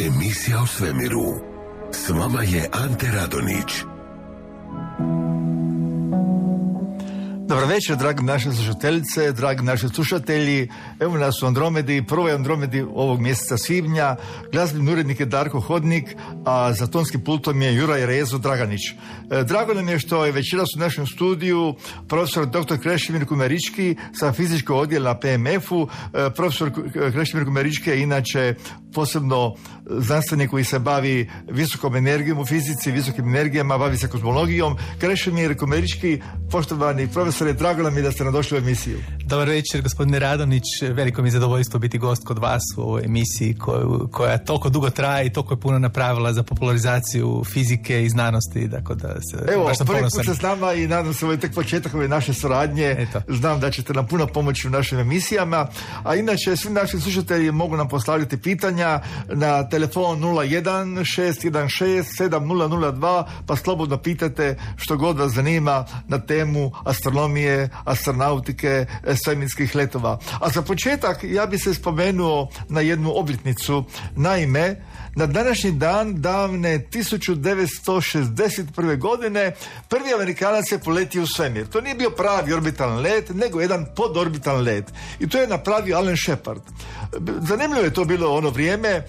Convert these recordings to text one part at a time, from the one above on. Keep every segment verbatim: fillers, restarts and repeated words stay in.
Emisija o svemiru. S vama je Ante Radonić. Dobar večer, dragi naše slušateljice, dragi naši slušatelji. Evo nas u Andromedi, prvoj Andromedi ovog mjeseca svibnja. Glazbeni urednik je Darko Hodnik, a za tonskim pultom je Juraj Rezo Draganić. E, drago nam je što je večeras u našem studiju profesor doktor Krešimir Kumerički sa fizičkog odjela na P M F-u. E, profesor Krešimir Kumerički je inače posebno znanstvenik koji se bavi visokom energijom u fizici, visokim energijama, bavi se kozmologijom. Krešimir Kumerički, poštovani profesore, drago nam je da ste nam došli u emisiju. Dobar večer, gospodine Radonić. Veliko mi je zadovoljstvo biti gost kod vas u ovoj emisiji koju, koja toliko dugo traje i toliko je puno napravila za popularizaciju fizike i znanosti. Dakle, da se, Evo, prvi put se s nama i nadam se ovo je tek početak ove naše suradnje. Eto. Znam da ćete nam puno pomoći u našim emisijama. A inače, svi naši slušatelji mogu nam postaviti pitanja na telefon nula jedan šest jedan šest sedam nula nula dva, pa slobodno pitate što god vas zanima na temu astronomije, astronautike, svemirskih letova. A za početak ja bi se spomenuo na jednu obljetnicu. Naime, na današnji dan davne tisuću devetsto šezdeset prve. godine prvi Amerikanac je poletio u svemir. To nije bio pravi orbitalni let, nego jedan podorbitalni let. I to je napravio Alan Shepard. Zanimljivo je to bilo ono vrijeme. E,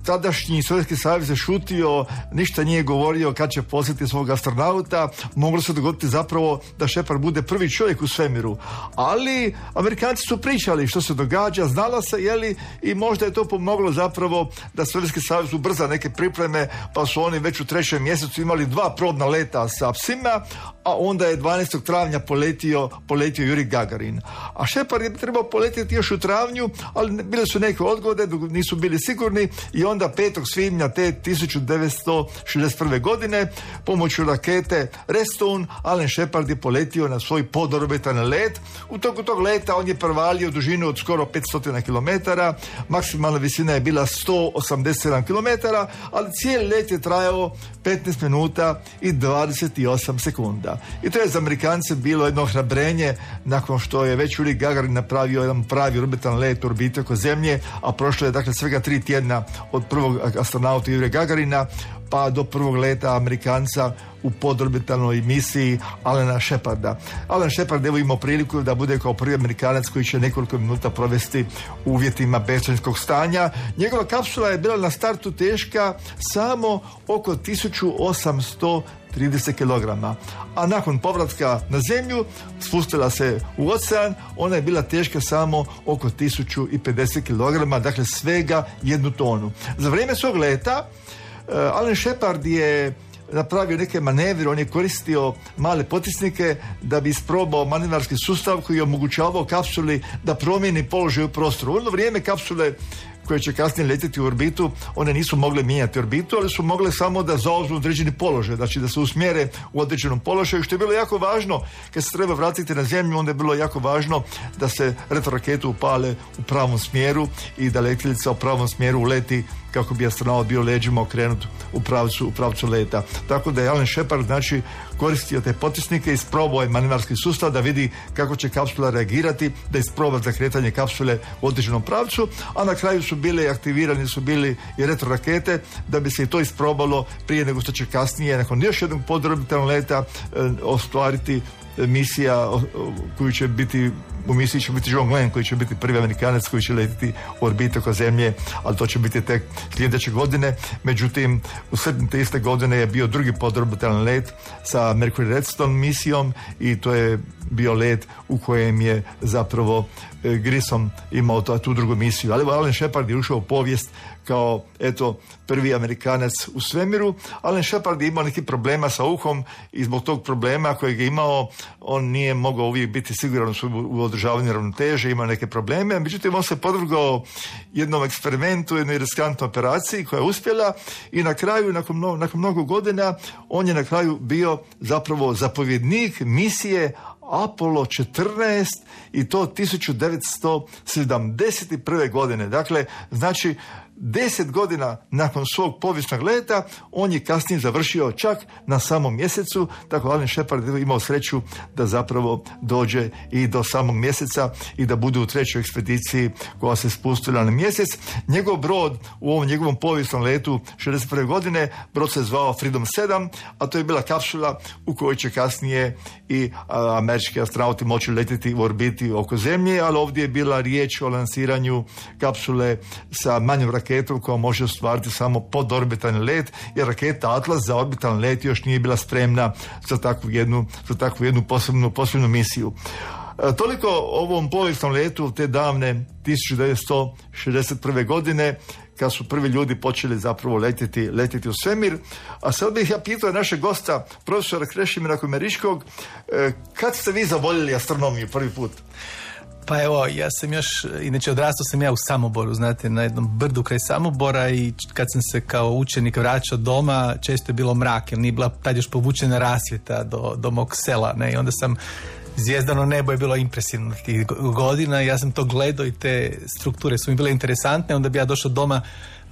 tadašnji Sovjetski savez je šutio, ništa nije govorio kad će posjetiti svog astronauta. Moglo se dogoditi zapravo da Shepard bude prvi čovjek u svemiru. Ali Amerikanci su pričali što se događa, znalo se, jeli, i možda je to pomoglo zapravo da Sovjetski savez ubrza neke pripreme, pa su oni već u trećem mjesecu imali dva probna leta sa psima, a onda je dvanaestog travnja poletio, poletio Juri Gagarin. A Shepard je trebao poletiti još u travnju, ali bile su neke odgode, nisu bili sigurni, i onda petog svibnja te tisuću devetsto šezdeset prve. godine pomoću rakete Redstone Alan Shepard je poletio na svoj podorbitalni let. U toku tog leta on je prevalio dužinu od skoro petsto kilometara, maksimalna visina je bila sto osamdeset sedam kilometara, ali cijeli let je trajao petnaest minuta i dvadeset osam sekunda. I to je za Amerikance bilo jedno hrabrenje nakon što je već Juri Gagarin napravio jedan pravi orbitalni let u orbiti oko Zemlje, a prošlo je dakle svega tri tjedna od prvog astronauta Juri Gagarina pa do prvog leta Amerikanca u podorbitalnoj misiji Alana Sheparda. Alan Shepard evo imao priliku da bude kao prvi Amerikanac koji će nekoliko minuta provesti u uvjetima bezsvjetlosnog stanja. Njegova kapsula je bila na startu teška samo oko tisuću osamsto trideset kilograma, a nakon povratka na Zemlju spustila se u ocean, ona je bila teška samo oko tisuću pedeset kilograma, dakle svega jednu tonu. Za vrijeme svog leta uh, Alan Shepard je napravio neke manevre, on je koristio male potisnike da bi isprobao manevarski sustav koji je omogućavao kapsuli da promijeni položaj u prostoru. U ono vrijeme kapsule koje će kasnije letjeti u orbitu, one nisu mogle mijenjati orbitu, ali su mogle samo da zauzmu određeni položaj, znači da se usmjere u određenom položaju, što je bilo jako važno. Kad se treba vratiti na Zemlju, onda je bilo jako važno da se retroraketu upale u pravom smjeru i da letjelica u pravom smjeru uleti kako bi astronaut bio leđima okrenut u pravcu, u pravcu leta. Tako da je Alan Shepard znači koristio te potisnike, isprobao je manevarski sustav da vidi kako će kapsula reagirati, da isproba za kretanje kapsule u određenom pravcu, a na kraju su bile aktivirani su bili i retrorakete da bi se i to isprobalo prije nego što će kasnije nakon još jednog podorbitalnog leta e, ostvariti misija koju će biti, u misiji će biti John Glenn koji će biti prvi Amerikanac koji će letiti u orbitu oko Zemlje, ali to će biti tek sljedeće godine. Međutim, u srpnju te iste godine je bio drugi podorbitalni let sa Mercury Redstone misijom i to je bio let u kojem je zapravo Grissom imao to, tu drugu misiju. Ali Alan Shepard je ušao u povijest kao, eto, prvi Amerikanac u svemiru. Alan Shepard je imao neki problema sa uhom i zbog tog problema kojeg je imao, on nije mogao uvijek biti siguran u održavanju ravnoteže, ima neke probleme. Međutim, on se podvrgao jednom eksperimentu, jednoj riskantnoj operaciji koja je uspjela i na kraju, nakon, mno, nakon mnogo godina, on je na kraju bio zapravo zapovjednik misije Apollo četrnaest i to tisuću devetsto sedamdeset prve godine. Dakle, znači deset godina nakon svog povijesnog leta on je kasnije završio čak na samom mjesecu, tako Alan Shepard je imao sreću da zapravo dođe i do samog mjeseca i da bude u trećoj ekspediciji koja se spustila na mjesec. Njegov brod u ovom njegovom povijesnom letu šezdeset prve godine, brod se zvao Freedom sedam, a to je bila kapsula u kojoj će kasnije i a, američki astronauti moći letiti u orbiti oko Zemlje, ali ovdje je bila riječ o lansiranju kapsule sa manjom raketom koja može ostvariti samo podorbitalni let, jer raketa Atlas za orbitalni let još nije bila spremna za takvu jednu, za takvu jednu posebnu, posebnu misiju. E, toliko o ovom povijesnom letu te davne tisuću devetsto šezdeset prve godine, kad su prvi ljudi počeli zapravo letjeti, letjeti u svemir. A sad bih ja pitao našeg gosta, profesora Krešimira Komeriškog, e, kad ste vi zavoljeli astronomiju prvi put? Pa evo, ja sam još, inače odrastao sam ja u Samoboru, znate, na jednom brdu kraj Samobora i kad sam se kao učenik vraćao doma, često je bilo mrak, jer nije bila tad još povučena rasvjeta do, do mog sela, ne, i onda sam, zvijezdano nebo je bilo impresivno tih godina, ja sam to gledao i te strukture su mi bile interesantne, onda bi ja došao doma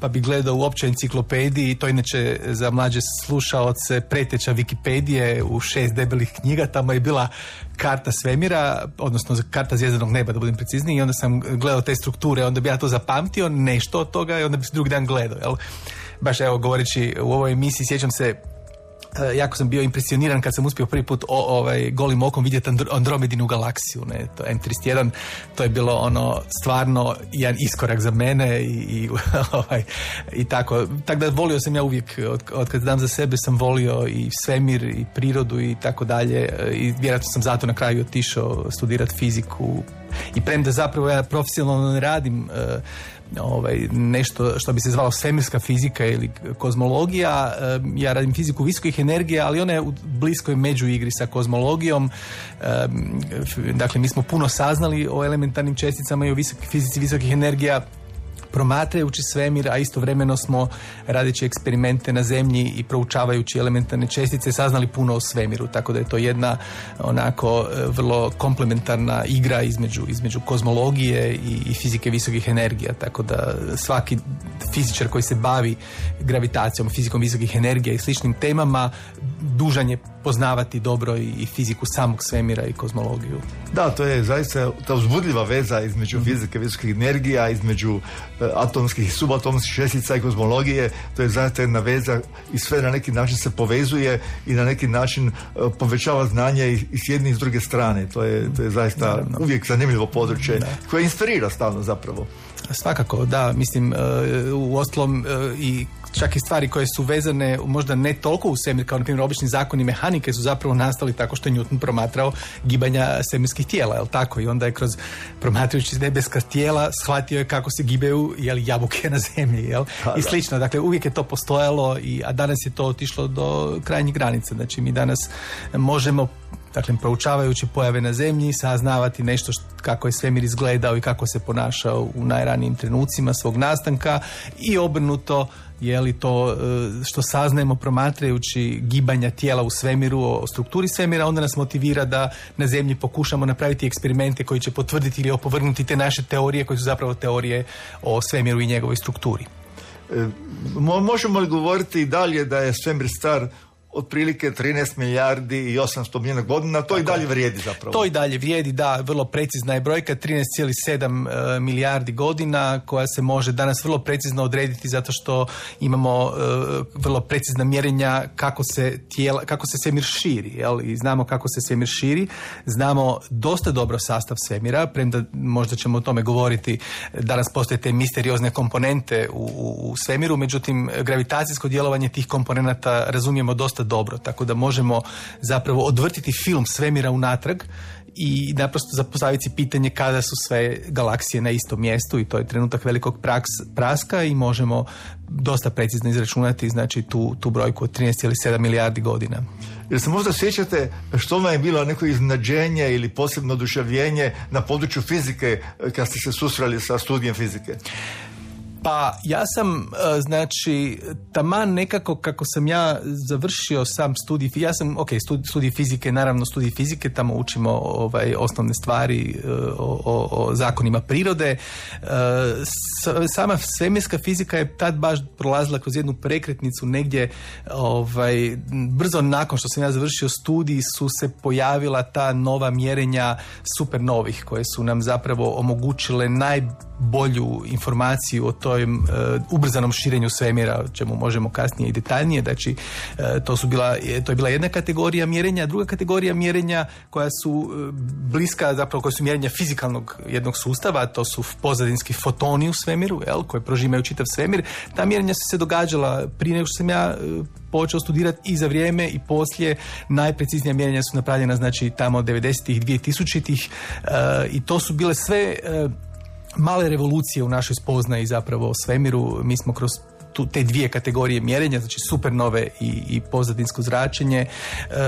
pa bi gledao u općoj enciklopediji, i to inače za mlađe slušaoce preteča Wikipedije u šest debelih knjiga, tamo je bila karta svemira, odnosno karta zvjezdanog neba, da budem precizniji, i onda sam gledao te strukture, onda bi ja to zapamtio, nešto od toga, i onda bi se drugi dan gledao, jel? Baš evo, govoreći u ovoj emisiji, sjećam se, jako sam bio impresioniran kad sam uspio prvi put o, ovaj, golim okom vidjeti Andromedinu galaksiju, ne, to em trideset jedan, to je bilo ono stvarno jedan iskorak za mene i, i, ovaj, i tako. Tako da volio sam ja uvijek, od, od kad dam za sebe sam volio i svemir i prirodu i tako dalje, i vjerojatno sam zato na kraju otišao studirati fiziku, i premda zapravo ja profesionalno ne radim ovaj, nešto što bi se zvalo svemirska fizika ili kozmologija, ja radim fiziku visokih energija, ali ona je u bliskoj međuigri sa kozmologijom. Dakle, mi smo puno saznali o elementarnim česticama i o visok, fizici visokih energija promatrajući svemir, a istovremeno smo radeći eksperimente na Zemlji i proučavajući elementarne čestice saznali puno o svemiru, tako da je to jedna onako vrlo komplementarna igra između, između kozmologije i, i fizike visokih energija, tako da svaki fizičar koji se bavi gravitacijom, fizikom visokih energija i sličnim temama dužan je poznavati dobro i, i fiziku samog svemira i kozmologiju. Da, to je zaista ta uzbudljiva veza između mm-hmm. fizike visokih energija, između uh, atomskih i subatomskih čestica i kozmologije. To je zaista jedna veza i sve na neki način se povezuje i na neki način uh, povećava znanje i, i s jedne i s druge strane. To je, to je zaista Naravno. uvijek zanimljivo područje da. koje inspirira stalno zapravo. Svakako, da, mislim, uh, u ostalom uh, i čak i stvari koje su vezane možda ne toliko u svemir, kao na primjer obični zakoni mehanike su zapravo nastali tako što je Newton promatrao gibanja svemirskih tijela, jel tako? I onda je kroz promatrajući nebeska tijela shvatio je kako se gibaju, jel, jabuke na zemlji, jel? I slično. Dakle, uvijek je to postojalo, i, a danas je to otišlo do krajnjih granica. Znači, mi danas možemo, dakle, proučavajući pojave na Zemlji, saznavati nešto što, kako je svemir izgledao i kako se ponašao u najranijim trenucima svog nastanka, i obrnuto, je li to što saznajemo promatrajući gibanja tijela u svemiru, o strukturi svemira, onda nas motivira da na Zemlji pokušamo napraviti eksperimente koji će potvrditi ili opovrgnuti te naše teorije, koje su zapravo teorije o svemiru i njegovoj strukturi. E, možemo li govoriti i dalje da je svemir star otprilike trinaest milijardi i osamsto milijuna godina, to tako i dalje vrijedi zapravo. To i dalje vrijedi, da, vrlo precizna je brojka, trinaest zarez sedam milijardi godina, koja se može danas vrlo precizno odrediti zato što imamo uh, vrlo precizna mjerenja kako se tijela, kako se svemir širi, jel? I znamo kako se svemir širi, znamo dosta dobro sastav svemira, premda možda ćemo o tome govoriti, danas postoje te misteriozne komponente u, u, u svemiru, međutim gravitacijsko djelovanje tih komponenata razumijemo dosta dobro, tako da možemo zapravo odvrtiti film svemira unatrag i naprosto zapostaviti pitanje kada su sve galaksije na istom mjestu, i to je trenutak velikog praks, praska i možemo dosta precizno izračunati, znači tu, tu brojku od trinaest zarez sedam milijardi godina. Jer se možda sjećate što vam je bilo neko iznenađenje ili posebno oduševljenje na području fizike kad ste se susreli sa studijem fizike? Pa ja sam, znači, taman nekako kako sam ja završio sam studij, ja sam, ok, studij, studij fizike, naravno studij fizike, tamo učimo ovaj, osnovne stvari o, o, o zakonima prirode. Sama svemirska fizika je tad baš prolazila kroz jednu prekretnicu negdje, ovaj, brzo nakon što sam ja završio studij su se pojavila ta nova mjerenja supernovih koje su nam zapravo omogućile najbolju informaciju o toj uh, ubrzanom širenju svemira, o čemu možemo kasnije i detaljnije. Znači, uh, to su bila, to je bila jedna kategorija mjerenja, druga kategorija mjerenja koja su uh, bliska, zapravo koja su mjerenja fizikalnog jednog sustava, to su pozadinski fotoni u svemiru, jel, koje prožimaju čitav svemir. Ta mjerenja su se događala prije nego što sam ja uh, počeo studirati i za vrijeme i poslije. Najpreciznija mjerenja su napravljena, znači, tamo od devedesetih, dvije-tisućitih uh, i to su bile sve uh, male revolucije u našoj spoznaji zapravo o svemiru. Mi smo kroz tu, te dvije kategorije mjerenja, znači supernove i, i pozadinsko zračenje, e,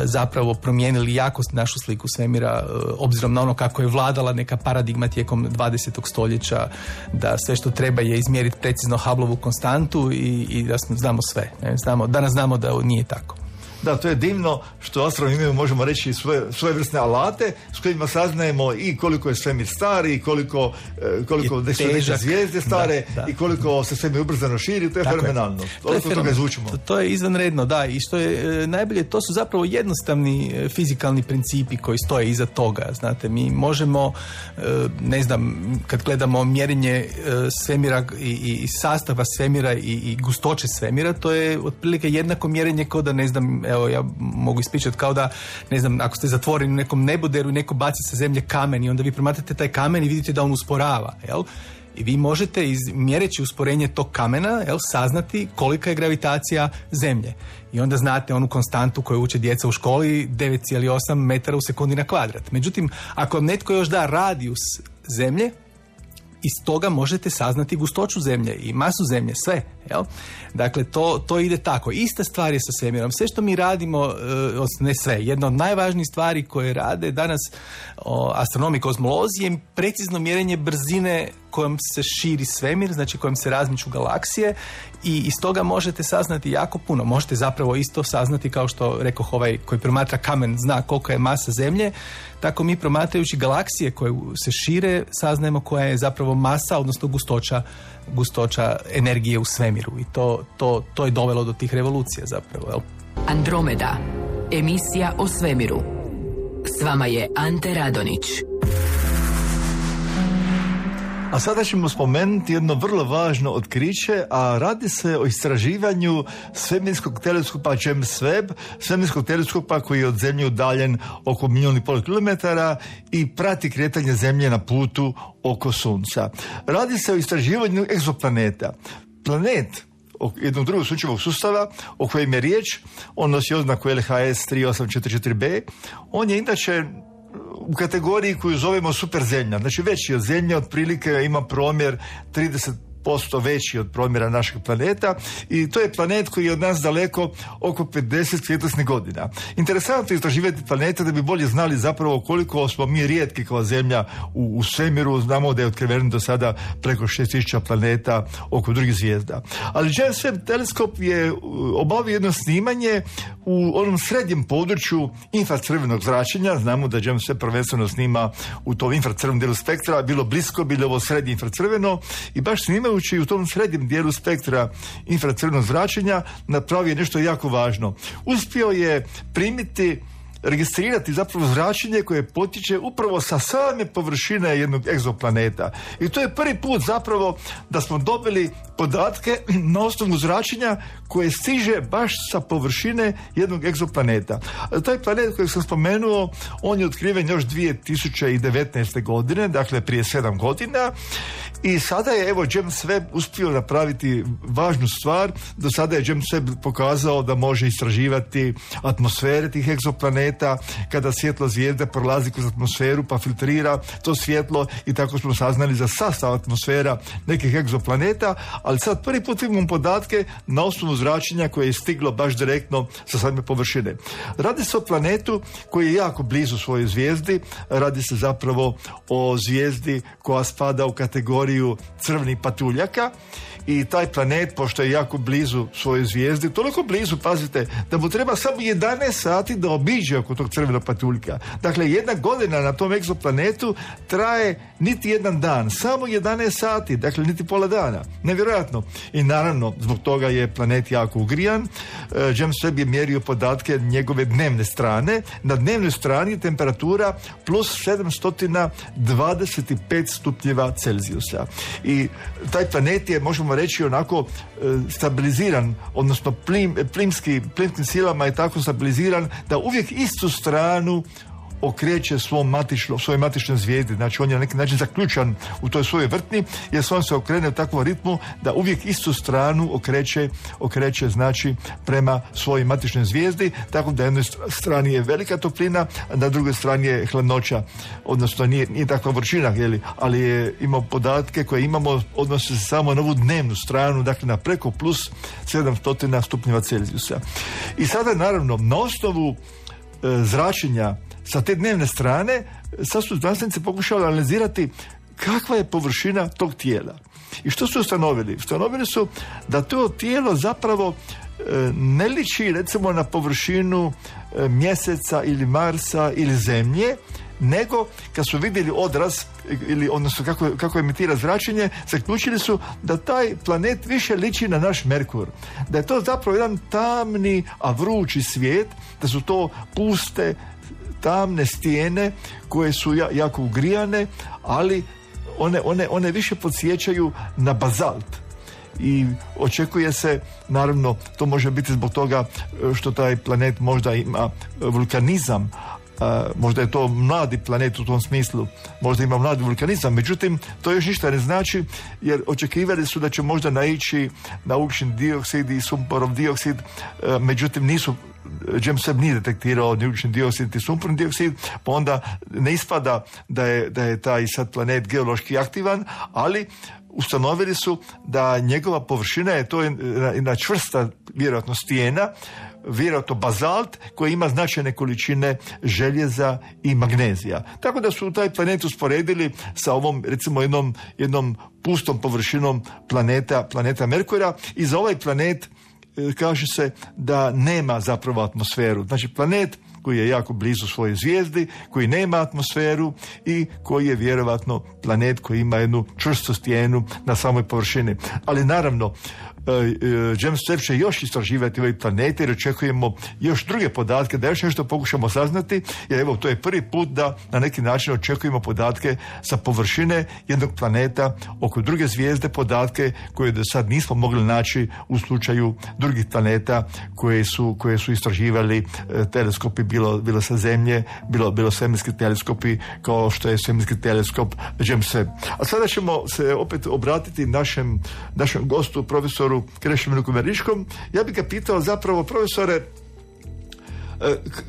zapravo promijenili jako našu sliku svemira, e, obzirom na ono kako je vladala neka paradigma tijekom dvadesetog stoljeća, da sve što treba je izmjeriti precizno Hubbleovu konstantu i, i da znamo sve. Ne? Znamo, danas znamo da nije tako. Da, to je divno što astronomi imaju, možemo reći, svoje, svoje vrstne alate s kojima saznajemo i koliko je svemir star i koliko, koliko neke zvijezde stare, da, da. I koliko se svemir ubrzano širi, to je tako fenomenalno. Je. To, je toga izvučimo. To, to je izvanredno, da, i što je e, najbolje, to su zapravo jednostavni e, fizikalni principi koji stoje iza toga. Znate, mi možemo, e, ne znam, kad gledamo mjerenje e, svemira i, i sastava svemira i, i gustoće svemira, to je otprilike jednako mjerenje kao da, ne znam, evo, ja mogu ispričati kao da, ne znam, ako ste zatvoreni u nekom neboderu i neko baci sa zemlje kamen i onda vi promatrate taj kamen i vidite da on usporava, jel? I vi možete, iz, mjereći usporenje tog kamena, jel, saznati kolika je gravitacija zemlje. I onda znate onu konstantu koju uče djeca u školi, devet zarez osam metara u sekundi na kvadrat. Međutim, ako vam netko još da radijus zemlje, iz toga možete saznati gustoću zemlje i masu zemlje, sve. Jel? Dakle, to, to ide tako. Ista stvar je sa svemirom. Sve što mi radimo, ne sve, jedna od najvažnijih stvari koje rade danas o, astronomi, kozmolozi je precizno mjerenje brzine kojom se širi svemir, znači kojom se razmiču galaksije, i iz toga možete saznati jako puno. Možete zapravo isto saznati, kao što rekoh, ovaj koji promatra kamen zna kolika je masa zemlje, tako mi promatrajući galaksije koje se šire saznajemo koja je zapravo masa, odnosno gustoća, gustoća energije u svemiru, i to, to, to je dovelo do tih revolucija zapravo. Jel? Andromeda, emisija o svemiru. S vama je Ante Radonić. A sada ćemo spomenuti jedno vrlo važno otkriće, a radi se o istraživanju svemirskog teleskopa James Webb, svemirskog teleskopa koji je od Zemlje udaljen oko milijun i pol kilometara i prati kretanje Zemlje na putu oko Sunca. Radi se o istraživanju egzoplaneta. Planet jednog drugog sunčevog sustava o kojem je riječ, on nosi oznaku L H S tri osam četiri četiri b, on je inače u kategoriji koju zovemo superzemlja, znači veći od Zemlje, otprilike ima promjer trideset posto veći od promjera našeg planeta, i to je planet koji je od nas daleko oko pedeset svjetlosnih godina. Interesantno je istraživati planete da bi bolje znali zapravo koliko smo mi rijetki kao Zemlja u, u svemiru. Znamo da je otkriveno do sada preko šest tisuća planeta oko drugih zvijezda. Ali James Webb teleskop je obavio jedno snimanje u onom srednjem području infracrvenog zračenja. Znamo da James Webb prvenstveno snima u tom infracrvenom dijelu spektra, bilo blisko, bilo ovo srednje infracrveno, i baš snimaju zahvaljujući u tom srednjem dijelu spektra infracrvenog zračenja napravio nešto jako važno. Uspio je primiti, registrirati zapravo zračenje koje potiče upravo sa same površine jednog egzoplaneta. I to je prvi put zapravo da smo dobili podatke na osnovu zračenja koje stiže baš sa površine jednog egzoplaneta. Taj planet koji sam spomenuo, on je otkriven još dvije tisuće devetnaeste. godine, dakle prije sedam godina, i sada je evo James Webb uspio napraviti važnu stvar. Do sada je James Webb pokazao da može istraživati atmosfere tih egzoplaneta, kada svjetlo zvijezde prolazi kroz atmosferu pa filtrira to svjetlo, i tako smo saznali za sastav atmosfera nekih egzoplaneta, ali sad prvi put imamo podatke na osnovu zračenja koje je stiglo baš direktno sa same površine. Radi se o planetu koji je jako blizu svojoj zvijezdi, radi se zapravo o zvijezdi koja spada u kategoriju crvenih patuljaka, i taj planet, pošto je jako blizu svojoj zvijezdi, toliko blizu, pazite, da mu treba samo jedanaest sati da obiđe oko tog crvenog patuljka. Dakle, jedna godina na tom egzoplanetu traje niti jedan dan, samo jedanaest sati, dakle niti pola dana. Nevjerojatno. I naravno, zbog toga je planet jako ugrijan. E, James Webb je mjerio podatke njegove dnevne strane. Na dnevnoj strani temperatura plus sedamsto dvadeset pet stupnjeva Celzijusa. I taj planet je, možemo reći, onako e, stabiliziran, odnosno plim, plimski, plimskim silama je tako stabiliziran da uvijek istu stranu okreće svom matično, svojoj matičnoj zvijezdi. Znači on je na neki način zaključan u toj svojoj vrtni, jer se on se okrene u takvom ritmu da uvijek istu stranu okreće, okreće znači prema svojoj matičnoj zvijezdi, tako da na jednoj strani je velika toplina, a na drugoj strani je hladnoća, odnosno nije, nije takva vrućina, jeli, ali je imao podatke koje imamo, odnose se samo na ovu dnevnu stranu, dakle na preko plus sedamsto stupnjeva Celzijusa. I sada naravno na osnovu e, zračenja sa te dnevne strane, sad su znanstvenici pokušali analizirati kakva je površina tog tijela. I što su ustanovili? Ustanovili su da to tijelo zapravo e, ne liči recimo na površinu e, mjeseca ili Marsa ili Zemlje, nego kad su vidjeli odraz ili odnosno kako, kako emitira zračenje, zaključili su da taj planet više liči na naš Merkur. Da je to zapravo jedan tamni, a vrući svijet, da su to puste, tamne stijene koje su ja, jako ugrijane, ali one, one, one više podsjećaju na bazalt. I očekuje se, naravno, to može biti zbog toga što taj planet možda ima vulkanizam, a, možda je to mladi planet u tom smislu, možda ima mladi vulkanizam, međutim to još ništa ne znači, jer očekivali su da će možda naići na ugljični dioksid i sumporov dioksid, a, međutim nisu, James Webb nije detektirao ni ugljični dioksid i sumporni dioksid, pa onda ne ispada da je, da je taj sad planet geološki aktivan, ali ustanovili su da njegova površina je to jedna čvrsta, vjerojatno stijena, vjerojatno bazalt koji ima značajne količine željeza i magnezija. Tako da su taj planet usporedili sa ovom, recimo, jednom, jednom pustom površinom planeta, planeta Merkura, i za ovaj planet kaže se da nema zapravo atmosferu. Znači planet koji je jako blizu svojoj zvijezdi, koji nema atmosferu i koji je vjerovatno planet koji ima jednu čvrstu stijenu na samoj površini. Ali naravno, James Webb će još istraživati ovaj planet jer očekujemo još druge podatke, da još nešto pokušamo saznati, jer evo to je prvi put da na neki način očekujemo podatke sa površine jednog planeta oko druge zvijezde, podatke koje do sad nismo mogli naći u slučaju drugih planeta koje su, koje su istraživali teleskopi, bilo, bilo sa Zemlje, bilo, bilo svemirski teleskopi kao što je svemirski teleskop James Webb. A sada ćemo se opet obratiti našem, našem gostu, profesoru Krešimiru Kumeriškom. Ja bih ga pitao zapravo, profesore,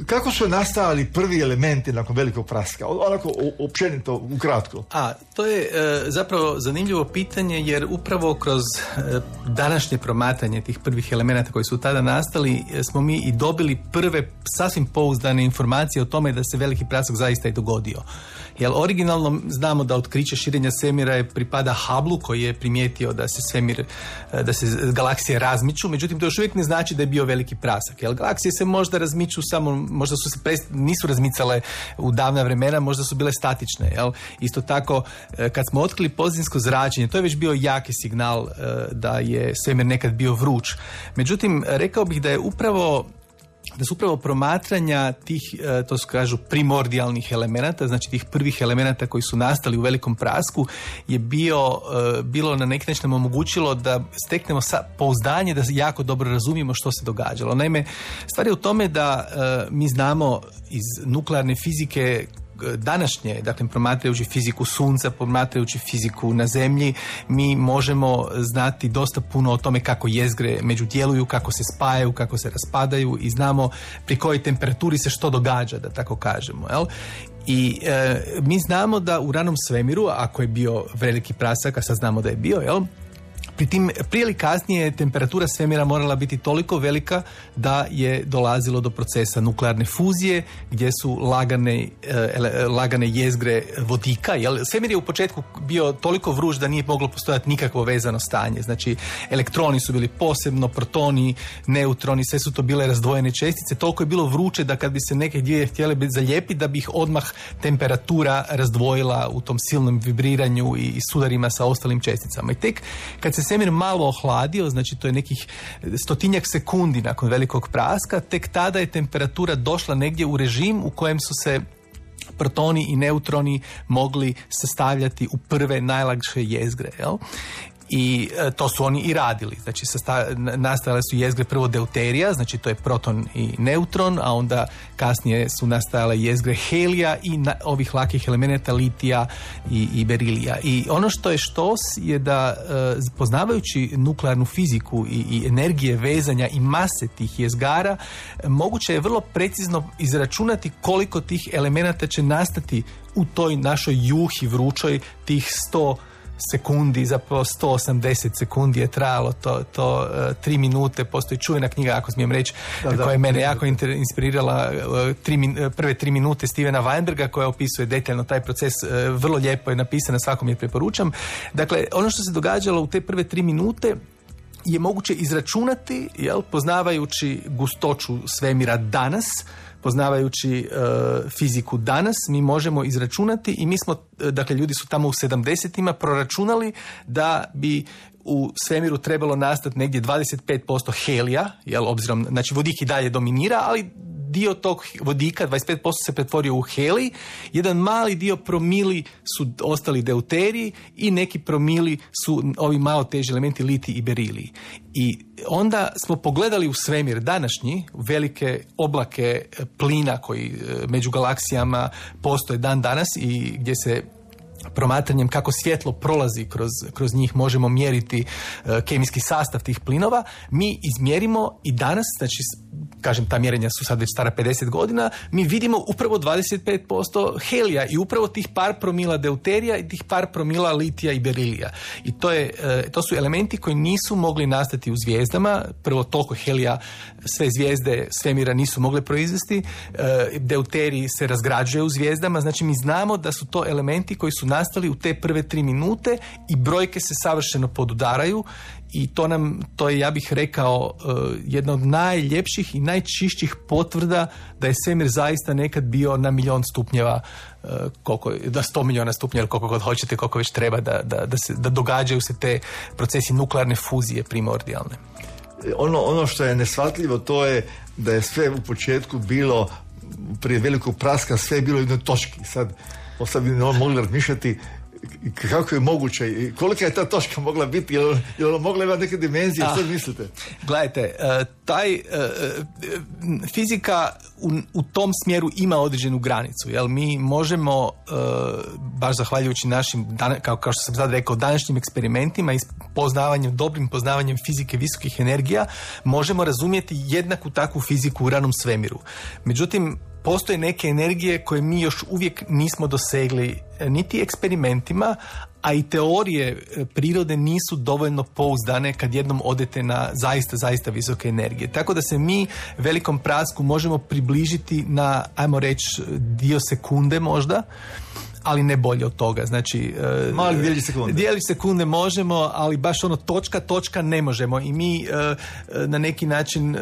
kako su nastajali prvi elementi nakon velikog praska? Onako općenito, ukratko. A, to je e, zapravo zanimljivo pitanje, jer upravo kroz e, današnje promatranje tih prvih elemenata koji su tada nastali, e, smo mi i dobili prve sasvim pouzdane informacije o tome da se veliki prasak zaista i dogodio. Jer originalno znamo da otkriće širenja svemira je pripada Hubblu, koji je primijetio da se svemir, da se galaksije razmiču, međutim to još uvijek ne znači da je bio veliki prasak. Jer galaksije se možda razmiču miču samo, možda su se prest, nisu razmicale u davna vremena, možda su bile statične. Jel? Isto tako, kad smo otkrili pozadinsko zračenje, to je već bio jaki signal da je svemir nekad bio vruć. Međutim, rekao bih da je upravo da su upravo promatranja tih, to su kažu, primordijalnih elemenata, znači tih prvih elemenata koji su nastali u velikom prasku, je bio, bilo na neki način nam omogućilo da steknemo pouzdanje da jako dobro razumijemo što se događalo. Naime, stvar je u tome da mi znamo iz nuklearne fizike današnje, dakle promatrajući fiziku sunca, promatrajući fiziku na zemlji, mi možemo znati dosta puno o tome kako jezgre međudjeluju, kako se spajaju, kako se raspadaju i znamo pri kojoj temperaturi se što događa, da tako kažemo. Jel? I e, mi znamo da u ranom svemiru, ako je bio veliki prasak, a sad znamo da je bio, jel? Pri tim, prije ili kasnije temperatura svemira morala biti toliko velika da je dolazilo do procesa nuklearne fuzije gdje su lagane, e, lagane jezgre vodika. Jel? Svemir je u početku bio toliko vruć da nije moglo postojati nikakvo vezano stanje. Znači, elektroni su bili posebno, protoni, neutroni, sve su to bile razdvojene čestice. Toliko je bilo vruće da kad bi se neke dvije htjele zalijepiti, da bi ih odmah temperatura razdvojila u tom silnom vibriranju i, i sudarima sa ostalim česticama. I tek kad se svemir malo ohladio, znači to je nekih stotinjak sekundi nakon velikog praska, tek tada je temperatura došla negdje u režim u kojem su se protoni i neutroni mogli sastavljati u prve najlakše jezgre. Jel? I e, to su oni i radili. Znači, sasta, nastajale su jezgre prvo deuterija, znači to je proton i neutron, a onda kasnije su nastajale jezgre helija i na, ovih lakih elemenata litija i, i berilija. I ono što je štos je da e, poznavajući nuklearnu fiziku i, i energije vezanja i mase tih jezgara, e, moguće je vrlo precizno izračunati koliko tih elemenata će nastati u toj našoj juhi vrućoj, tih sto sekundi, zapravo sto osamdeset sekundi je trajalo to, to uh, tri minute. Postoji čuvena knjiga, ako smijem reći, da, koja je mene jako inspirirala, uh, tri min, prve tri minute Stevena Weinberga, koja opisuje detaljno taj proces, uh, vrlo lijepo je napisana, svakom je preporučam. Dakle, ono što se događalo u te prve tri minute je moguće izračunati, jel, poznavajući gustoću svemira danas, poznavajući uh, fiziku danas, mi možemo izračunati i mi smo, dakle, ljudi su tamo u sedamdesetima proračunali da bi u svemiru trebalo nastati negdje dvadeset pet posto helija, jel, obzirom, znači vodik i dalje dominira, ali dio tog vodika, dvadeset pet posto se pretvorio u helij, jedan mali dio promili su ostali deuteriji i neki promili su ovi malo teži elementi litij i berilij. I onda smo pogledali u svemir današnji, velike oblake plina koji među galaksijama postoje dan danas i gdje se promatranjem kako svjetlo prolazi kroz, kroz njih možemo mjeriti uh, kemijski sastav tih plinova, mi izmjerimo i danas, znači kažem, ta mjerenja su sad već stara pedeset godina, mi vidimo upravo dvadeset pet posto helija i upravo tih par promila deuterija i tih par promila litija i berilija. I to, je, uh, to su elementi koji nisu mogli nastati u zvijezdama. Prvo, toliko helija sve zvijezde svemira nisu mogle proizvesti. Uh, deuterij se razgrađuje u zvijezdama, znači mi znamo da su to elementi koji su nastali u te prve tri minute i brojke se savršeno podudaraju i to nam, to je, ja bih rekao, jedna od najljepših i najčišćih potvrda da je svemir zaista nekad bio na milion stupnjeva, koliko, da sto milijuna stupnjeva ili koliko god hoćete, koliko već treba da, da, da, se, da događaju se te procesi nuklearne fuzije primordijalne. Ono, ono što je neshvatljivo, to je da je sve u početku bilo, prije velikog praska, sve je bilo u jednoj točki. Sad, sad bi mogli razmišljati kako je moguće i kolika je ta točka mogla biti, je li, je li mogla imati neke dimenzije, što mislite? Gledajte, taj fizika u, u tom smjeru ima određenu granicu, jel mi možemo, baš zahvaljujući našim, kao, kao što sam sad rekao, današnjim eksperimentima i poznavanjem, dobrim poznavanjem fizike visokih energija, možemo razumjeti jednaku takvu fiziku u ranom svemiru. Međutim, postoje neke energije koje mi još uvijek nismo dosegli niti eksperimentima, a i teorije prirode nisu dovoljno pouzdane kad jednom odete na zaista, zaista visoke energije. Tako da se mi velikom prasku možemo približiti na, ajmo reći, dio sekunde možda, ali ne bolje od toga. Znači, mali dijelić sekunde. Dijelić sekunde možemo, ali baš ono točka, točka ne možemo. I mi na neki način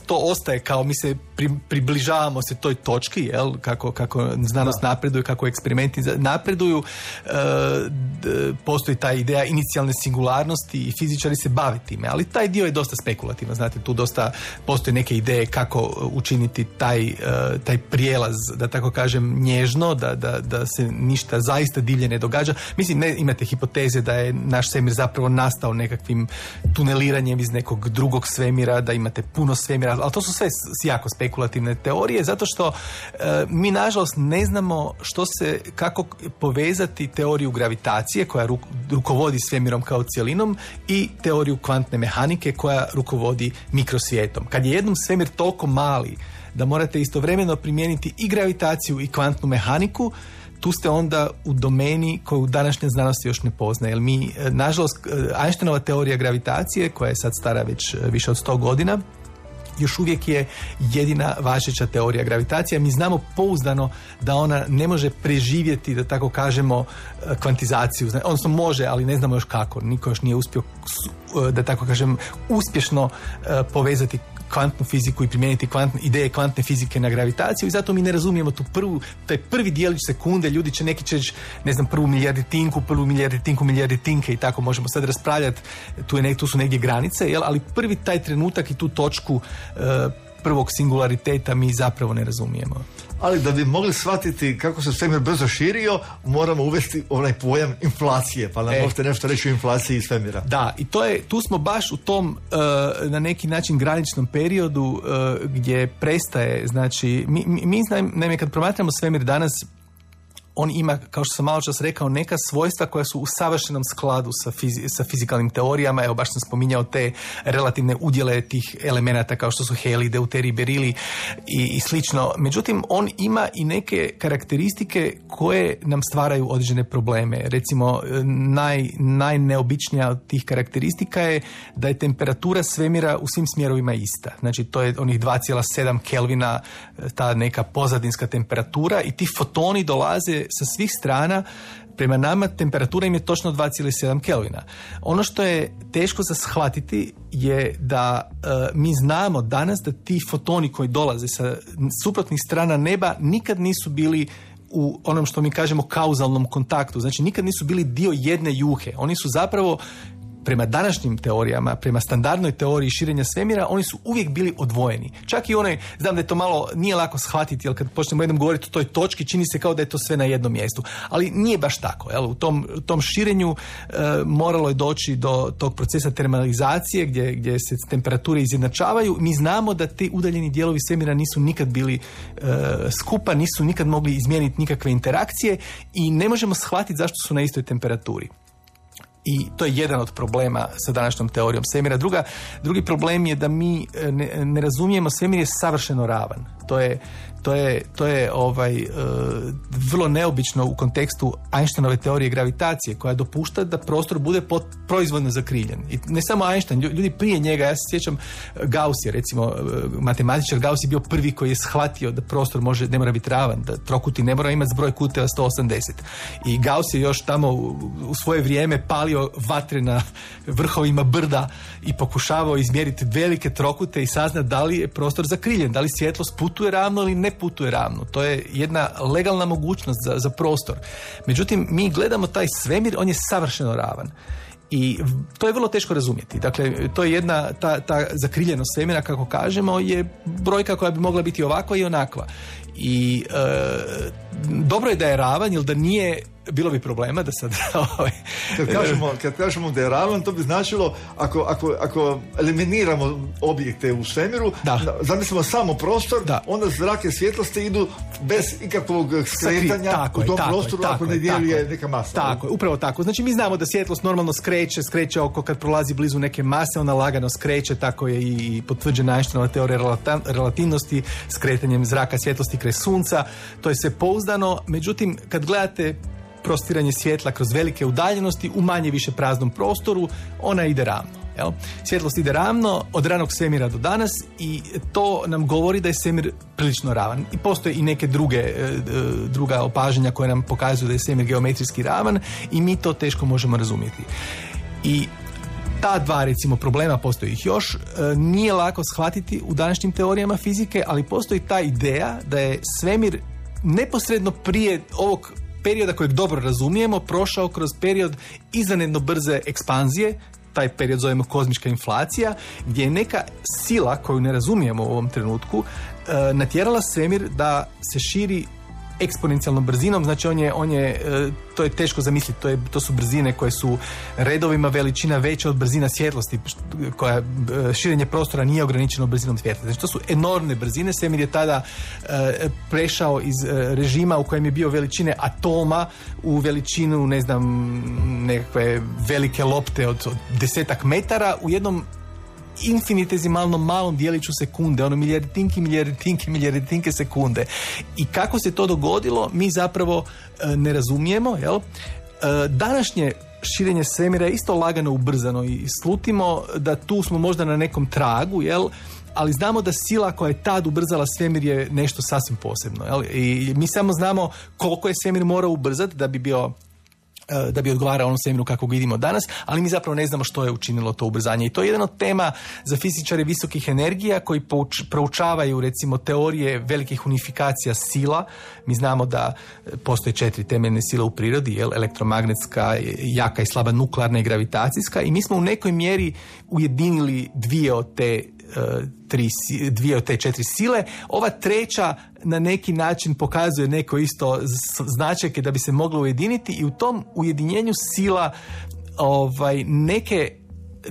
to ostaje kao mi se pri, približavamo se toj točki, jel? Kako, kako znanost da. napreduje, kako eksperimenti napreduju. Postoji ta ideja inicijalne singularnosti i fizičari se bave time, ali taj dio je dosta spekulativan. Znate, tu dosta postoje neke ideje kako učiniti taj, taj prijelaz, da tako kažem, nježno, da, da, da se ništa zaista divlje ne događa. Mislim, ne imate hipoteze da je naš svemir zapravo nastao nekakvim tuneliranjem iz nekog drugog svemira, da imate puno svemira, ali to su sve jako spekulativne teorije, zato što e, mi nažalost ne znamo što se, kako povezati teoriju gravitacije koja ruk, rukovodi svemirom kao cjelinom i teoriju kvantne mehanike koja rukovodi mikrosvijetom. Kad je jednom svemir toliko mali da morate istovremeno primijeniti i gravitaciju i kvantnu mehaniku, tu ste onda u domeni koju današnja znanost još ne poznaje. Jer mi, nažalost, Einsteinova teorija gravitacije, koja je sad stara već više od sto godina, još uvijek je jedina važeća teorija gravitacije. Mi znamo pouzdano da ona ne može preživjeti, da tako kažemo, kvantizaciju. Odnosno može, ali ne znamo još kako. Niko još nije uspio, da tako kažem, uspješno povezati kvantnu fiziku i primijeniti kvantne, ideje kvantne fizike na gravitaciju i zato mi ne razumijemo tu prvu, taj prvi dijelić sekunde, ljudi će neki će, ne znam, prvu milijarditinku, prvu milijarditinku, milijarditinke i tako možemo sad raspravljati, tu, je, tu su negdje granice, jel? Ali prvi taj trenutak i tu točku uh, prvog singulariteta mi zapravo ne razumijemo. Ali da bi mogli shvatiti kako se svemir brzo širio, moramo uvesti onaj pojam inflacije, pa nam e. možete nešto reći o inflaciji svemira. Da, i to je, tu smo baš u tom uh, na neki način graničnom periodu uh, gdje prestaje, znači, mi, mi, mi naime kad promatramo svemir danas, on ima, kao što sam malo čas rekao, neka svojstva koja su u savršenom skladu sa, fizi, sa fizikalnim teorijama. Evo, baš sam spominjao te relativne udjele tih elemenata kao što su helij, deuterij, berili i, i slično. Međutim, on ima i neke karakteristike koje nam stvaraju određene probleme. Recimo, naj, najneobičnija od tih karakteristika je da je temperatura svemira u svim smjerovima ista. Znači, to je onih dva zarez sedam Kelvina, ta neka pozadinska temperatura i ti fotoni dolaze sa svih strana. Prema nama temperatura im je točno dva zarez sedam Kelvina. Ono što je teško za shvatiti je da e, mi znamo danas da ti fotoni koji dolaze sa suprotnih strana neba nikad nisu bili u onom što mi kažemo kauzalnom kontaktu. Znači nikad nisu bili dio jedne juhe. Oni su zapravo prema današnjim teorijama, prema standardnoj teoriji širenja svemira, oni su uvijek bili odvojeni. Čak i onaj, znam da je to malo, nije lako shvatiti, jer kad počnemo jednom govoriti o toj točki, čini se kao da je to sve na jednom mjestu. Ali nije baš tako. Jel? U tom, u tom širenju e, moralo je doći do tog procesa termalizacije, gdje, gdje se temperature izjednačavaju. Mi znamo da ti udaljeni dijelovi svemira nisu nikad bili e, skupa, nisu nikad mogli izmijeniti nikakve interakcije i ne možemo shvatiti zašto su na istoj temperaturi. I to je jedan od problema sa današnjom teorijom svemira. Druga, drugi problem je da mi ne, ne razumijemo, svemir je savršeno ravan. To je, to je, to je ovaj, uh, vrlo neobično u kontekstu Einsteinove teorije gravitacije, koja dopušta da prostor bude pot, proizvodno zakriljen. I ne samo Einstein, ljudi prije njega, ja se sjećam Gauss je, recimo, matematičar Gauss je bio prvi koji je shvatio da prostor može, ne mora biti ravan, da trokuti ne mora imati zbroj kuteva sto osamdeset. I Gauss je još tamo u, u svoje vrijeme palio vatre na vrhovima brda i pokušavao izmjeriti velike trokute i saznati da li je prostor zakriljen, da li svjetlost putuje ravno ili ne putuje ravno. To je jedna legalna mogućnost za, za prostor. Međutim, mi gledamo taj svemir, on je savršeno ravan. I to je vrlo teško razumjeti. Dakle, to je jedna, ta, ta zakriljenost svemira, kako kažemo, je brojka koja bi mogla biti ovakva i onakva. I e, dobro je da je ravan, jer da nije, bilo bi problema da sad... kad, kažemo, kad kažemo da je ravan, to bi značilo, ako, ako, ako eliminiramo objekte u svemiru, zamislimo samo prostor, da. Onda zrak i svjetlosti idu bez ikakvog skretanja tako u tom je, prostoru, tako ako ne dijeli je neka masa. Tako je, upravo tako. Znači mi znamo da svjetlost normalno skreće, skreće oko kad prolazi blizu neke mase, ona lagano skreće, tako je i potvrđena Einsteinova teorija relativnosti, skretanjem zraka svjetlosti kraj sunca. To je sve pouzdano, međutim, kad gledate prostiranje svjetla kroz velike udaljenosti u manje više praznom prostoru, ona ide ravno. Jel? Svjetlost ide ravno od ranog svemira do danas i to nam govori da je svemir prilično ravan. I postoje i neke druge, druga opažanja koje nam pokazuju da je svemir geometrijski ravan i mi to teško možemo razumjeti. I ta dva, recimo, problema, postoji ih još, nije lako shvatiti u današnjim teorijama fizike, ali postoji ta ideja da je svemir neposredno prije ovog perioda kojeg dobro razumijemo prošao kroz period izvanredno brze ekspanzije, taj period zovemo kozmička inflacija, gdje je neka sila koju ne razumijemo u ovom trenutku natjerala svemir da se širi eksponencijalnom brzinom, znači on je, on je, to je teško zamisliti, to, je, to su brzine koje su redovima veličina veća od brzina svjetlosti, koja širenje prostora nije ograničeno brzinom svjetla. Znači to su enormne brzine, svemir je tada e, prešao iz režima u kojem je bio veličine atoma u veličinu, ne znam, nekakve velike lopte od, od desetak metara u jednom infinitezimalno malom dijeliću sekunde, ono milijarditinke, milijarditinke, milijarditinke sekunde. I kako se to dogodilo, mi zapravo e, ne razumijemo, jel? E, današnje širenje svemira je isto lagano ubrzano i slutimo da tu smo možda na nekom tragu, jel? Ali znamo da sila koja je tad ubrzala svemir je nešto sasvim posebno, jel? I mi samo znamo koliko je svemir morao ubrzati da bi bio da bi odgovarao onom svemiru kako ga vidimo danas, ali mi zapravo ne znamo što je učinilo to ubrzanje. I to je jedan od tema za fizičare visokih energija koji pouč, proučavaju recimo teorije velikih unifikacija sila. Mi znamo da postoje četiri temeljne sile u prirodi, jel? Elektromagnetska, jaka i slaba nuklearna i gravitacijska, i mi smo u nekoj mjeri ujedinili dvije od te tri, dvije od te četiri sile. Ova treća na neki način pokazuje neko isto značajke da bi se moglo ujediniti i u tom ujedinjenju sila ovaj, neke,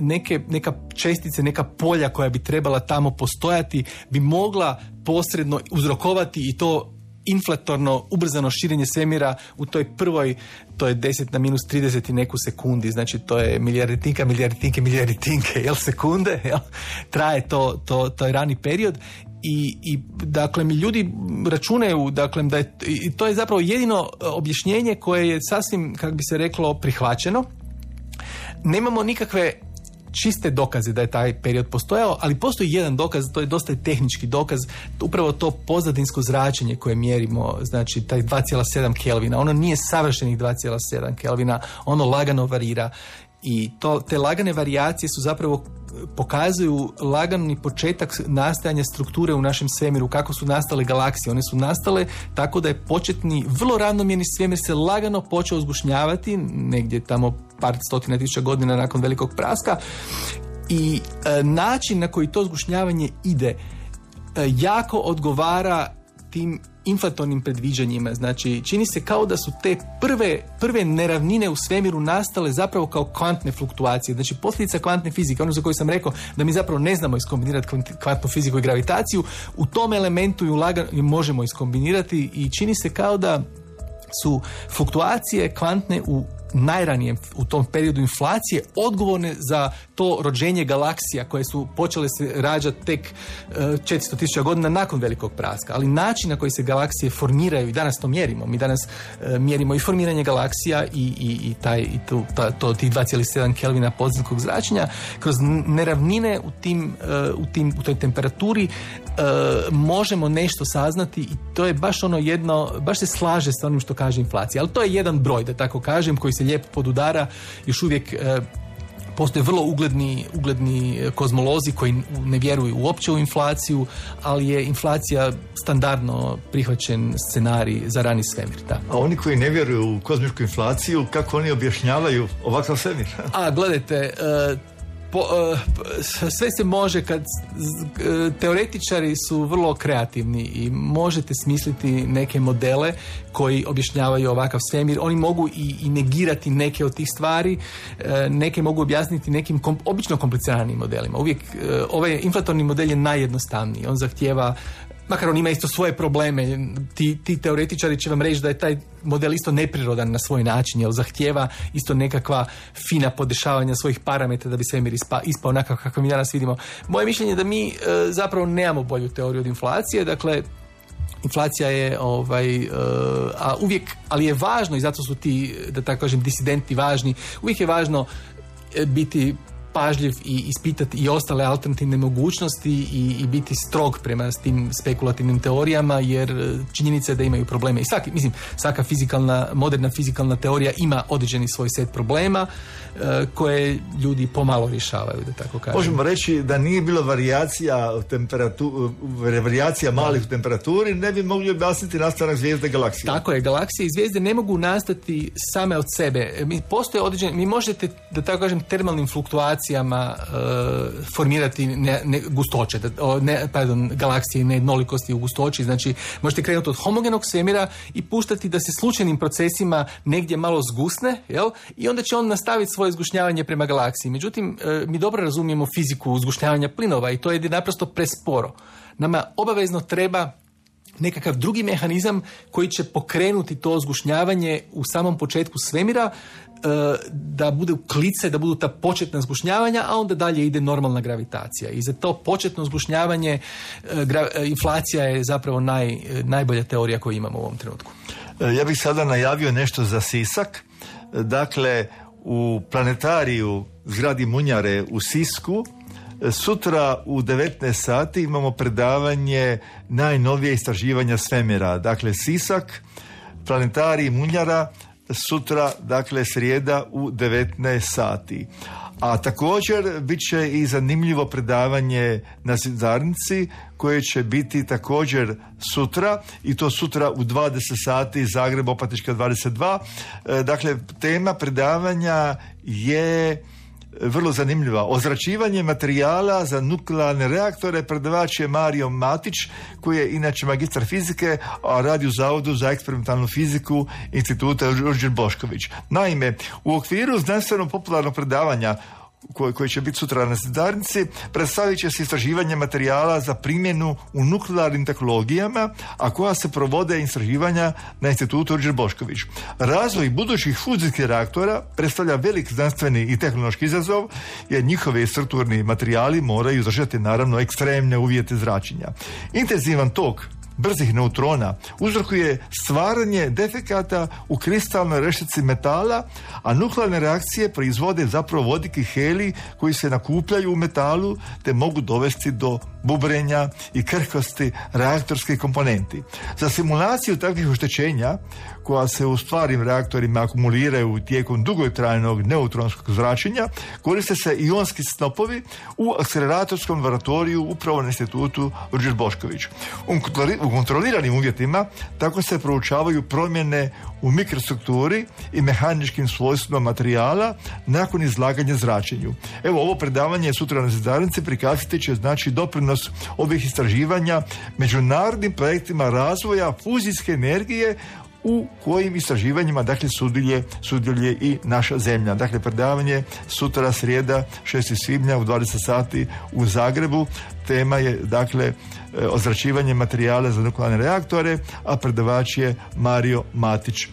neke, neka čestice, neka polja koja bi trebala tamo postojati bi mogla posredno uzrokovati i to inflatorno, ubrzano širenje svemira u toj prvoj, to je deset na minus trideset i neku sekundi, znači to je milijarditinka, milijarditinke, milijarditinke, jel, sekunde, jel, traje to, to, to je rani period. I, i dakle mi ljudi računaju, dakle, da je, i to je zapravo jedino objašnjenje koje je sasvim, kako bi se reklo, prihvaćeno. Nemamo nikakve čiste dokaze da je taj period postojao, ali postoji jedan dokaz, to je dosta tehnički dokaz, upravo to pozadinsko zračenje koje mjerimo, znači taj dva zarez sedam Kelvina, ono nije savršenih dva zarez sedam Kelvina, ono lagano varira. I to, te lagane varijacije su zapravo pokazuju lagani početak nastajanja strukture u našem svemiru, kako su nastale galaksije. One su nastale tako da je početni, vrlo ravnomjerni svemir se lagano počeo uzgušnjavati, negdje tamo par stotina tisuća godina nakon velikog praska, i e, način na koji to uzgušnjavanje ide e, jako odgovara tim inflatornim predviđanjima. Znači, čini se kao da su te prve, prve neravnine u svemiru nastale zapravo kao kvantne fluktuacije. Znači, posljedica kvantne fizike, ono za koju sam rekao da mi zapravo ne znamo iskombinirati kvantnu fiziku i gravitaciju, u tom elementu ju lagano možemo iskombinirati i čini se kao da su fluktuacije kvantne u najranijem, u tom periodu inflacije, odgovorne za to rođenje galaksija koje su počele se rađati tek četiristo tisuća godina nakon velikog praska. Ali način na koji se galaksije formiraju, i danas to mjerimo, mi danas uh, mjerimo i formiranje galaksija i, i, i, taj, i tu, ta, to, tih dva zarez sedam Kelvina podzemskog zračenja, kroz neravnine u, tim, uh, u, tim, u toj temperaturi uh, možemo nešto saznati, i to je baš ono jedno, baš se slaže sa onim što kaže inflacija. Ali to je jedan broj, da tako kažem, koji se lijepo podudara. Još uvijek e, postoje vrlo ugledni, ugledni kozmolozi koji ne vjeruju uopće u inflaciju, ali je inflacija standardno prihvaćen scenarij za rani svemir. Da. A oni koji ne vjeruju u kozmičku inflaciju, kako oni objašnjavaju ovakav svemir? A, gledajte, e, Po, uh, sve se može kad uh, teoretičari su vrlo kreativni i možete smisliti neke modele koji objašnjavaju ovakav svemir. Oni mogu i, i negirati neke od tih stvari, uh, neke mogu objasniti nekim kom, obično kompliciranijim modelima. Uvijek uh, ovaj inflatorni model je najjednostavniji. On zahtijeva, makar on ima isto svoje probleme, ti, ti teoretičari će vam reći da je taj model isto neprirodan na svoj način, jer zahtijeva isto nekakva fina podešavanja svojih parametra da bi svemir ispa, ispao onako kako mi danas vidimo. Moje mišljenje je da mi e, zapravo nemamo bolju teoriju od inflacije, dakle inflacija je ovaj, e, a uvijek, ali je važno, i zato su ti, da tako kažem, disidenti važni, uvijek je važno biti pažljiv i ispitati i ostale alternativne mogućnosti i, i biti strog prema tim spekulativnim teorijama, jer činjenica je da imaju probleme. I svaki, mislim, svaka fizikalna, moderna fizikalna teorija ima određeni svoj set problema uh, koje ljudi pomalo rješavaju, da tako kažem. Možemo reći da nije bilo varijacija temperatu, varijacija malih u temperaturi, ne bi mogli objasniti nastanak zvijezde galaksije. Tako je, galaksije i zvijezde ne mogu nastati same od sebe. Mi postoje određene, mi možete, da tako kažem, termalnim fluktuacijama uh, formirati ne, ne, gustoće, da, ne, pardon, galaksije nejednolikosti u gustoći, znači možete krenuti od homogenog svemira i puštati da se slučajnim procesima negdje malo zgusne, jel? I onda će on nastaviti svoje zgušnjavanje prema galaksiji. Međutim, uh, mi dobro razumijemo fiziku zgušnjavanja plinova i to je naprosto presporo. Nama obavezno treba nekakav drugi mehanizam koji će pokrenuti to zgušnjavanje u samom početku svemira, da bude klice, da budu ta početna zgušnjavanja, a onda dalje ide normalna gravitacija. I za to početno zgušnjavanje inflacija je zapravo naj, najbolja teorija koju imamo u ovom trenutku. Ja bih sada najavio nešto za Sisak. Dakle, u planetariju zgradi Munjare u Sisku sutra u devetnaest sati imamo predavanje najnovije istraživanja svemira. Dakle, Sisak, planetarij Munjara, sutra, dakle, srijeda u devetnaest sati. A također bit će i zanimljivo predavanje na Zidanici koje će biti također sutra, i to sutra u dvadeset sati, Zagreb, Opatička dvadeset dva. Dakle, tema predavanja je vrlo zanimljiva. Ozračivanje materijala za nuklearne reaktore. Predavač je Mario Matić, koji je inače magistar fizike, a radi u Zavodu za eksperimentalnu fiziku Instituta Ruđer Bošković. Naime, u okviru znanstveno-popularnog predavanja koji, koji će biti sutra na Zidanici, predstavit će se istraživanje materijala za primjenu u nuklearnim tehnologijama, a koja se provode istraživanja na Institutu Ruđer Bošković. Razvoj budućih fuzijskih reaktora predstavlja velik znanstveni i tehnološki izazov, jer njihovi strukturni materijali moraju izdržati naravno ekstremne uvjete zračenja. Intenzivan tok brzih neutrona uzrokuje stvaranje defekata u kristalnoj reštici metala, a nuklearne reakcije proizvode zapravo vodik i helij koji se nakupljaju u metalu te mogu dovesti do bubrenja i krhkosti reaktorskih komponenti. Za simulaciju takvih oštećenja, koja se u stvarnim reaktorima akumuliraju tijekom dugotrajnog neutronskog zračenja, koriste se ionski snopovi u akceleratorskom laboratoriju upravo na Institutu Ruđer Bošković. U kontroliranim uvjetima tako se proučavaju promjene u mikrostrukturi i mehaničkim svojstvima materijala nakon izlaganja zračenju. Evo, ovo predavanje sutra na Zidanici prikazati će znači doprinos ovih istraživanja međunarodnim projektima razvoja fuzijske energije u kojim istraživanjima dakle sudjeluje, sudjeluje i naša zemlja. Dakle, predavanje sutra srijeda šestog svibnja u dvadeset sati u Zagrebu. Tema je dakle ozračivanje materijala za nuklearne reaktore, a predavač je Mario Matić. E,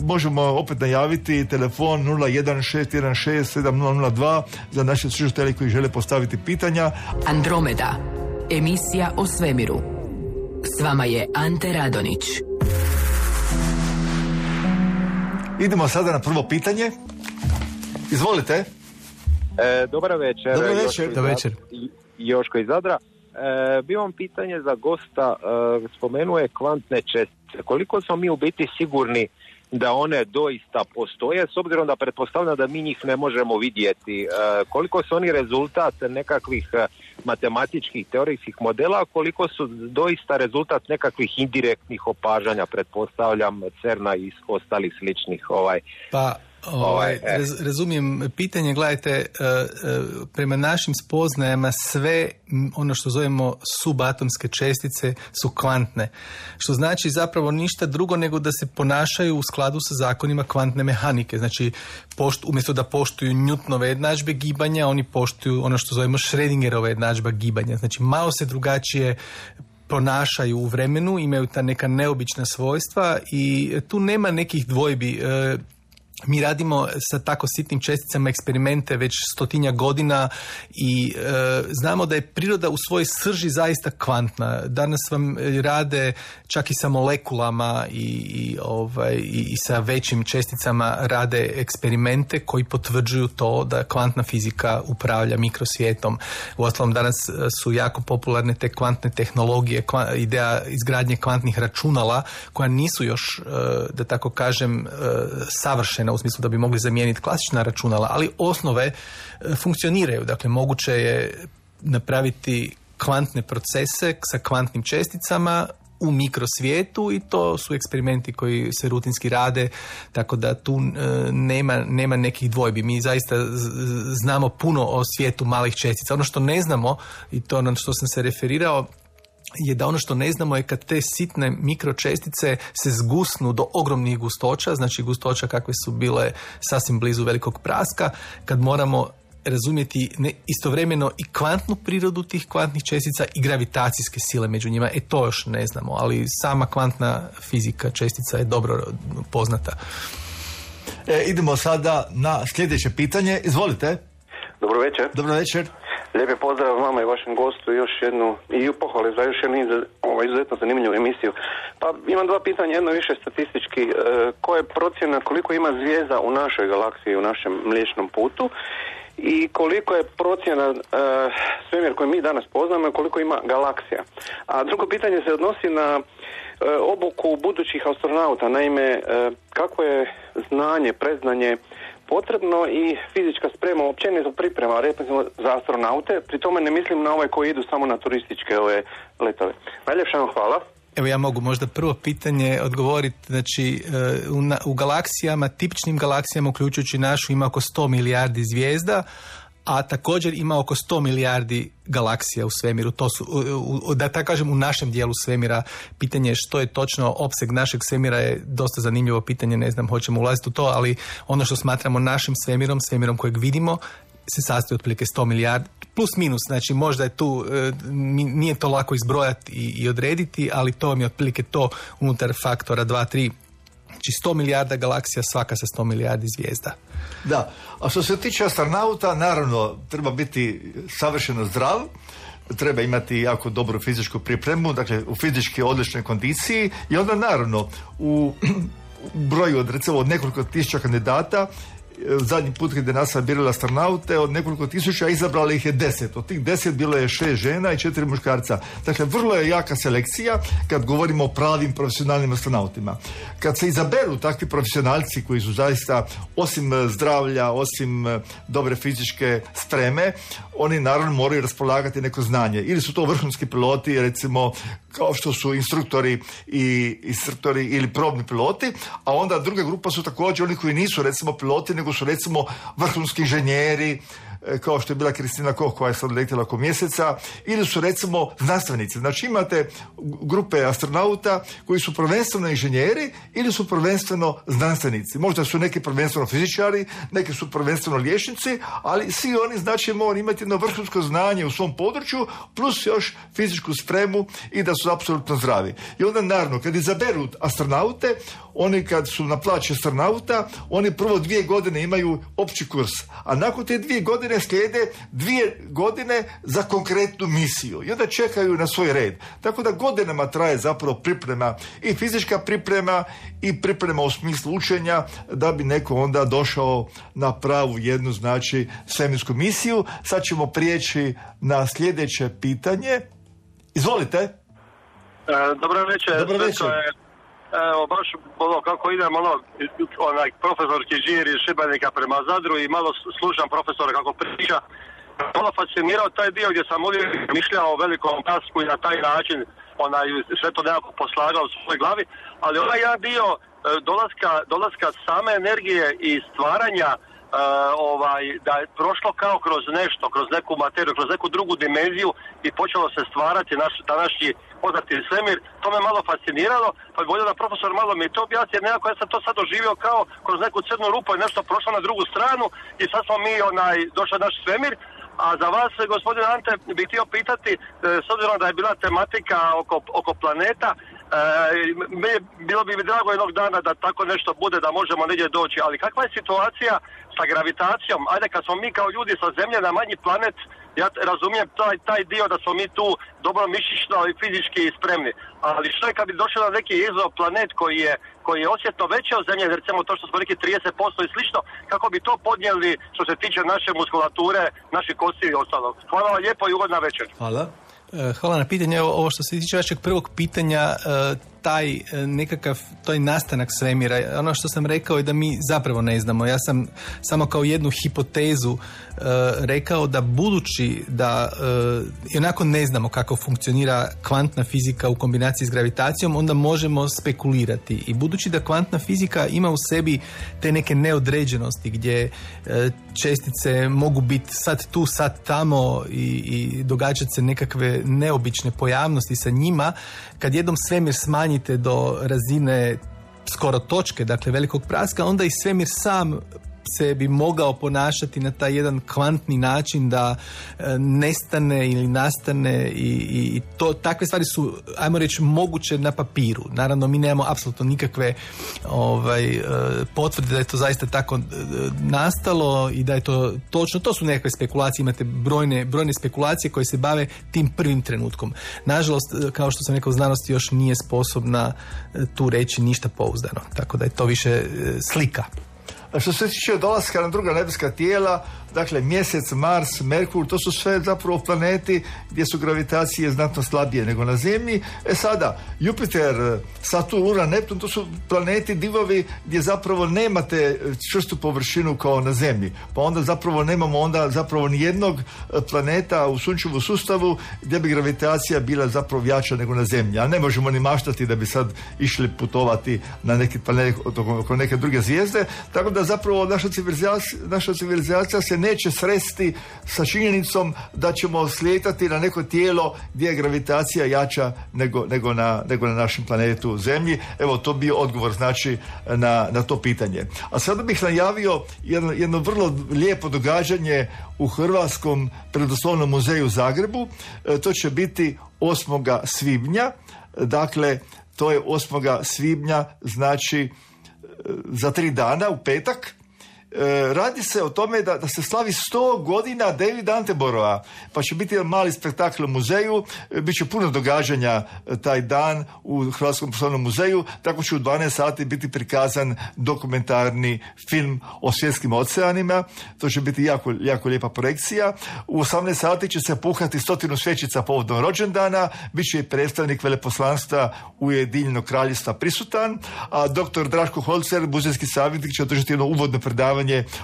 možemo opet najaviti telefon nula jedan šest jedan šest sedam nula nula dva za naše slušatelje koji žele postaviti pitanja. Andromeda, emisija o svemiru. S vama je Ante Radonić. Idemo sada na prvo pitanje. Izvolite. E, dobar večer. Dobar večer. Joško, večer. Joško iz Zadra. E, bi vam pitanje za gosta, e, spomenuo je kvantne čestice. Koliko smo mi u biti sigurni da one doista postoje, s obzirom da pretpostavljam da mi njih ne možemo vidjeti? E, koliko su oni rezultat nekakvih matematičkih teorijskih modela, koliko su doista rezultat nekakvih indirektnih opažanja, pretpostavljam CERN-a i ostalih sličnih ovaj... Pa... Ovaj, raz, razumijem pitanje, gledajte, prema našim spoznajama sve ono što zovemo subatomske čestice su kvantne, što znači zapravo ništa drugo nego da se ponašaju u skladu sa zakonima kvantne mehanike. Znači, poštu, umjesto da poštuju Newtonove jednadžbe gibanja, oni poštuju ono što zovemo Schrödingerova jednadžba gibanja. Znači, malo se drugačije ponašaju u vremenu, imaju ta neka neobična svojstva i tu nema nekih dvojbi. Mi radimo sa tako sitnim česticama eksperimente već stotinja godina i e, znamo da je priroda u svojoj srži zaista kvantna. Danas vam rade čak i sa molekulama i, i, ovaj, i, i sa većim česticama rade eksperimente koji potvrđuju to da kvantna fizika upravlja mikrosvijetom. Uostalom danas su jako popularne te kvantne tehnologije, kva, ideja izgradnje kvantnih računala koja nisu još, e, da tako kažem, e, savršena u smislu da bi mogli zamijeniti klasična računala, ali osnove e, funkcioniraju. Dakle, moguće je napraviti kvantne procese sa kvantnim česticama u mikrosvijetu i to su eksperimenti koji se rutinski rade, tako da tu e, nema, nema nekih dvojbi. Mi zaista z, znamo puno o svijetu malih čestica. Ono što ne znamo, i to na što sam se referirao, je da ono što ne znamo je kad te sitne mikročestice se zgusnu do ogromnih gustoća, znači gustoća kakve su bile sasvim blizu velikog praska, kad moramo razumjeti ne, istovremeno i kvantnu prirodu tih kvantnih čestica i gravitacijske sile među njima. E to još ne znamo, ali sama kvantna fizika čestica je dobro poznata. E, idemo sada na sljedeće pitanje. Izvolite. Dobro večer. Dobro večer. Lijepi pozdrav vama i vašem gostu, još jednu i pohvale za još jednu ovaj, izuzetno zanimljivu emisiju. Pa imam dva pitanja, jedno više statistički. E, koja je procjena koliko ima zvijezda u našoj galaksiji, u našem Mliječnom putu i koliko je procjena e, svemir koji mi danas poznamo i koliko ima galaksija. A drugo pitanje se odnosi na e, obuku budućih astronauta. Naime, e, kako je znanje, predznanje potrebno i fizička sprema općenito priprema recimo za astronaute, pri tome ne mislim na ove koji idu samo na turističke ove letove. Najljepša vam hvala. Evo ja mogu možda prvo pitanje odgovoriti, znači u, na, u galaksijama, tipičnim galaksijama uključujući našu ima oko sto milijardi zvijezda, a također ima oko sto milijardi galaksija u svemiru. To su, u, da tako kažem, u našem dijelu svemira. Pitanje što je točno opseg našeg svemira je dosta zanimljivo pitanje, ne znam hoćemo ulaziti u to, ali ono što smatramo našim svemirom, svemirom kojeg vidimo, se sastoji otprilike sto milijardi, plus minus, znači možda je tu, nije to lako izbrojati i, i odrediti, ali to vam je otprilike to unutar faktora dva tri. Znači sto milijarda galaksija, svaka sa sto milijardi zvijezda. Da, a što se tiče astronauta, naravno treba biti savršeno zdrav, treba imati jako dobru fizičku pripremu, dakle u fizički odličnoj kondiciji i onda naravno u broju od recimo od nekoliko tisuća kandidata, zadnji put kada je NASA birala astronaute, od nekoliko tisuća izabrali ih je deset. Od tih deset bilo je šest žena i četiri muškarca. Dakle, vrlo je jaka selekcija kad govorimo o pravim profesionalnim astronautima. Kad se izaberu takvi profesionalci koji su zaista, osim zdravlja, osim dobre fizičke spreme, oni naravno moraju raspolagati neko znanje. Ili su to vrhunski piloti, recimo kao što su instruktori i instruktori ili probni piloti, a onda druga grupa su također oni koji nisu recimo piloti, nego su recimo vrhunski inženjeri, kao što je bila Kristina Koch koja je sad letjela oko mjeseca, ili su recimo znanstvenici. Znači imate grupe astronauta koji su prvenstveno inženjeri ili su prvenstveno znanstvenici. Možda su neki prvenstveno fizičari, neki su prvenstveno liječnici, ali svi oni znači moraju imati jedno vrhunsko znanje u svom području plus još fizičku spremu i da su apsolutno zdravi. I onda naravno kad izaberu astronaute, oni kad su na plaći astronauta, oni prvo dvije godine imaju opći kurs, a nakon te dvije godine slijede dvije godine za konkretnu misiju i onda čekaju na svoj red. Tako da godinama traje zapravo priprema i fizička priprema i priprema u smislu učenja da bi neko onda došao na pravu jednu znači svemirsku misiju. Sad ćemo prijeći na sljedeće pitanje. Izvolite. E, dobro večer. Dobro večer. Evo, baš ono, kako idem, ono, onaj profesorski žir iz Šibenika prema Zadru i malo slušam profesora kako priča. Malo fascinirao taj dio gdje sam uvijek mišljao o velikom kasku i na taj način onaj, sve to nekako poslagao u svojoj glavi, ali onaj jedan dio dolaska, dolaska same energije i stvaranja Uh, ovaj, da je prošlo kao kroz nešto, kroz neku materiju, kroz neku drugu dimenziju i počelo se stvarati naš današnji poznati svemir. To me malo fasciniralo, pa bi volio da profesor malo mi to objasni, jer nekako ja sam to sad doživio kao kroz neku crnu rupu i nešto prošlo na drugu stranu i sad smo mi onaj, došli naš svemir. A za vas, gospodin Ante, bih htio pitati, s obzirom da je bila tematika oko, oko planeta, E, bilo bi mi drago jednog dana da tako nešto bude, da možemo negdje doći, ali kakva je situacija sa gravitacijom? Ajde, kad smo mi kao ljudi sa Zemlje na manji planet, ja razumijem taj, taj dio da smo mi tu dobro mišićno i fizički spremni, ali što je kad bi došao na neki egzoplanet koji je, koji je osjetno veći od Zemlje, recimo to što smo rekli trideset posto i slično, kako bi to podnijeli što se tiče naše muskulature, naših kosti i ostalog. Hvala vam lijepo i ugodna večer. Hvala. Hvala na pitanje. Ovo što se tiče vašeg prvog pitanja, taj nekakav, taj nastanak svemira, ono što sam rekao je da mi zapravo ne znamo. Ja sam samo kao jednu hipotezu rekao da budući da i onako ne znamo kako funkcionira kvantna fizika u kombinaciji s gravitacijom, onda možemo spekulirati. I budući da kvantna fizika ima u sebi te neke neodređenosti gdje čestice mogu biti sad tu, sad tamo i, i događati se nekakve neobične pojavnosti sa njima, kad jednom svemir smanjite do razine skoro točke, dakle velikog praska, onda i svemir sam se bi mogao ponašati na taj jedan kvantni način da e, nestane ili nastane i, i to, takve stvari su, ajmo reći, moguće na papiru. Naravno, mi nemamo apsolutno nikakve ovaj, e, potvrde da je to zaista tako e, nastalo i da je to točno. To su nekakve spekulacije, imate brojne, brojne spekulacije koje se bave tim prvim trenutkom. Nažalost, kao što sam rekao, znanost još nije sposobna e, tu reći ništa pouzdano. Tako da je to više e, slika. A što se tiče dolaska na druga nebeska tijela, dakle Mjesec, Mars, Merkur, to su sve zapravo planeti gdje su gravitacije znatno slabije nego na Zemlji. E sada, Jupiter, Saturn, Uran, Neptun, to su planeti, divovi gdje zapravo nemate čvrstu površinu kao na Zemlji. Pa onda zapravo nemamo onda zapravo ni jednog planeta u sunčevom sustavu gdje bi gravitacija bila zapravo jača nego na Zemlji. A ne možemo ni maštati da bi sad išli putovati na neki planet oko neke druge zvijezde. Tako da zapravo naša civilizacija, naša civilizacija se neće sresti sa činjenicom da ćemo slijetati na neko tijelo gdje je gravitacija jača nego, nego, na, nego na našem planetu Zemlji. Evo, to bio odgovor znači na, na to pitanje. A sada bih najavio jedno, jedno vrlo lijepo događanje u Hrvatskom prirodoslovnom muzeju u Zagrebu. E, to će biti osmog svibnja. Dakle, to je osmog svibnja, znači za tri dana, u petak. E, radi se o tome da, da se slavi sto godina Davida Attenborougha, pa će biti jedan mali spektakl u muzeju, e, bit će puno događanja e, taj dan u Hrvatskom poslovnom muzeju, tako će u dvanaest sati biti prikazan dokumentarni film o svjetskim oceanima, to će biti jako, jako lijepa projekcija. U osamnaest sati će se puhati stotinu svećica povodom rođendana, bit će i predstavnik veleposlanstva Ujedinjenog kraljevstva prisutan, a doktor Draško Holzer, muzejski savjetnik, će održati jedno uvodno predavanje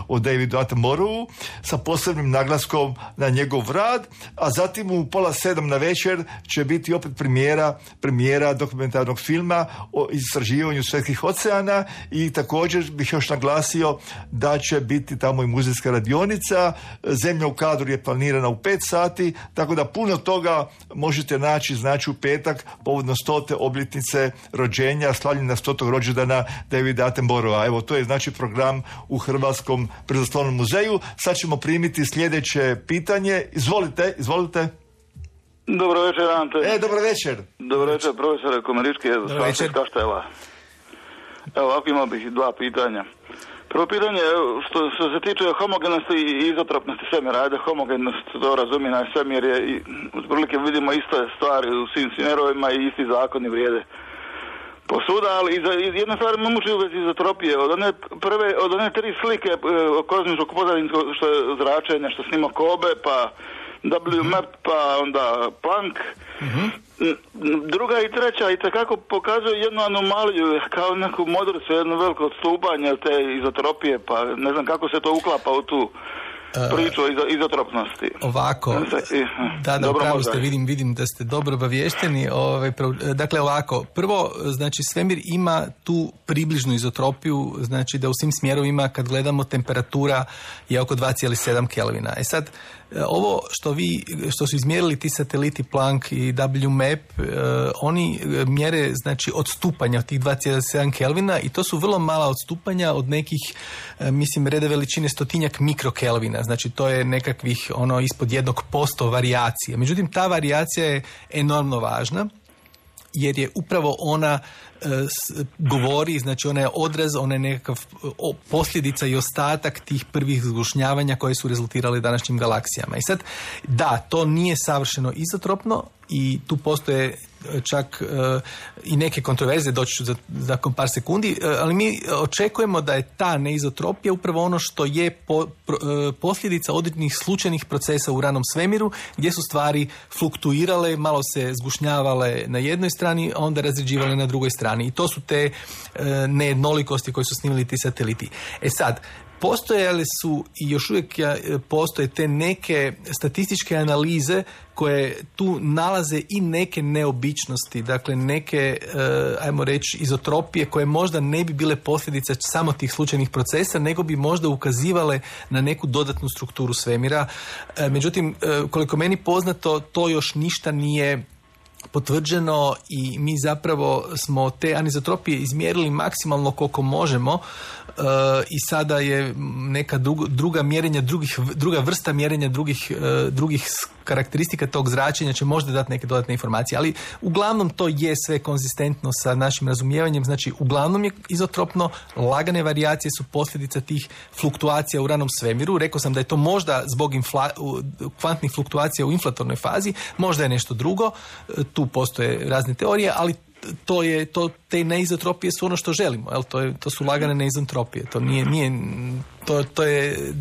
o Davidu Attenboroughu sa posebnim naglaskom na njegov rad, a zatim u pola sedam na večer će biti opet premijera, premijera dokumentarnog filma o istraživanju svjetskih oceana i također bih još naglasio da će biti tamo i muzejska radionica. Zemlja u kadru je planirana u pet sati, tako da puno toga možete naći znači u petak povodno stote obljetnice rođenja, slavljenja stotog rođendana Davida Attenborougha. Evo, to je znači program u Hrvatskom prirodoslovnom muzeju. Sad ćemo primiti sljedeće pitanje. Izvolite, izvolite. Dobro večer, Ante. E, dobro večer. Dobro večer, profesore Komarički, iz Kaštela. Evo, ovako imao bih dva pitanja. Prvo pitanje, što, što se tiče homogenosti i izotropnosti svemira, ajde, homogenost, to razumije na svemir je, i otprilike vidimo iste stvari u svim smjerovima i isti zakoni vrijede posuda, ali jedna stvar me muči u vezi izotropije. Od one prve, od one tri slike kozmičkog pozadinskog što je zračenja, što snima Kobe, pa W map, pa onda Planck. Uh-huh. Druga i treća i takako pokazuje jednu anomaliju, kao neku modricu, jedno veliko odstupanje te izotropije, pa ne znam kako se to uklapa u tu priču o izotropnosti. Ovako, da, da, upravo ste, vidim, vidim da ste dobro obavješteni. Ove, dakle, ovako, prvo, znači, svemir ima tu približnu izotropiju, znači da u svim smjerovima, kad gledamo, temperatura je oko dva zarez sedam Kelvina. E sad, ovo što vi, što su izmjerili ti sateliti Planck i W map, eh, oni mjere, znači, odstupanja od tih dva zarez sedam Kelvina i to su vrlo mala odstupanja od nekih, eh, mislim, reda veličine stotinjak mikrokelvina. Znači, to je nekakvih, ono, ispod jednog posto varijacije. Međutim, ta varijacija je enormno važna jer je upravo ona e, s, govori, znači ona je odraz, ona je nekakav o, posljedica i ostatak tih prvih zgušnjavanja koje su rezultirale današnjim galaksijama. I sad, da, to nije savršeno izotropno i tu postoje čak e, i neke kontroverze, doći ću za, za par sekundi, e, ali mi očekujemo da je ta neizotropija upravo ono što je po, pro, e, posljedica određenih slučajnih procesa u ranom svemiru, gdje su stvari fluktuirale, malo se zgušnjavale na jednoj strani, a onda razređivale na drugoj strani. I to su te e, nejednolikosti koje su snimili ti sateliti. E sad, postojale su i još uvijek postoje te neke statističke analize koje tu nalaze i neke neobičnosti, dakle neke, ajmo reći, izotropije koje možda ne bi bile posljedice samo tih slučajnih procesa, nego bi možda ukazivale na neku dodatnu strukturu svemira. Međutim, koliko meni poznato, to još ništa nije potvrđeno i mi zapravo smo te anizotropije izmjerili maksimalno koliko možemo uh, i sada je neka druga, druga mjerenja, drugih, druga vrsta mjerenja drugih, uh, drugih karakteristika tog zračenja će možda dati neke dodatne informacije, ali uglavnom to je sve konzistentno sa našim razumijevanjem, znači uglavnom je izotropno, lagane varijacije su posljedica tih fluktuacija u ranom svemiru. Rekao sam da je to možda zbog infla, kvantnih fluktuacija u inflatornoj fazi, možda je nešto drugo, tu postoje razne teorije, ali to je, to, te neizotropije su ono što želimo, jel? To, je, to su lagane neizotropije, to nije, nije to, to je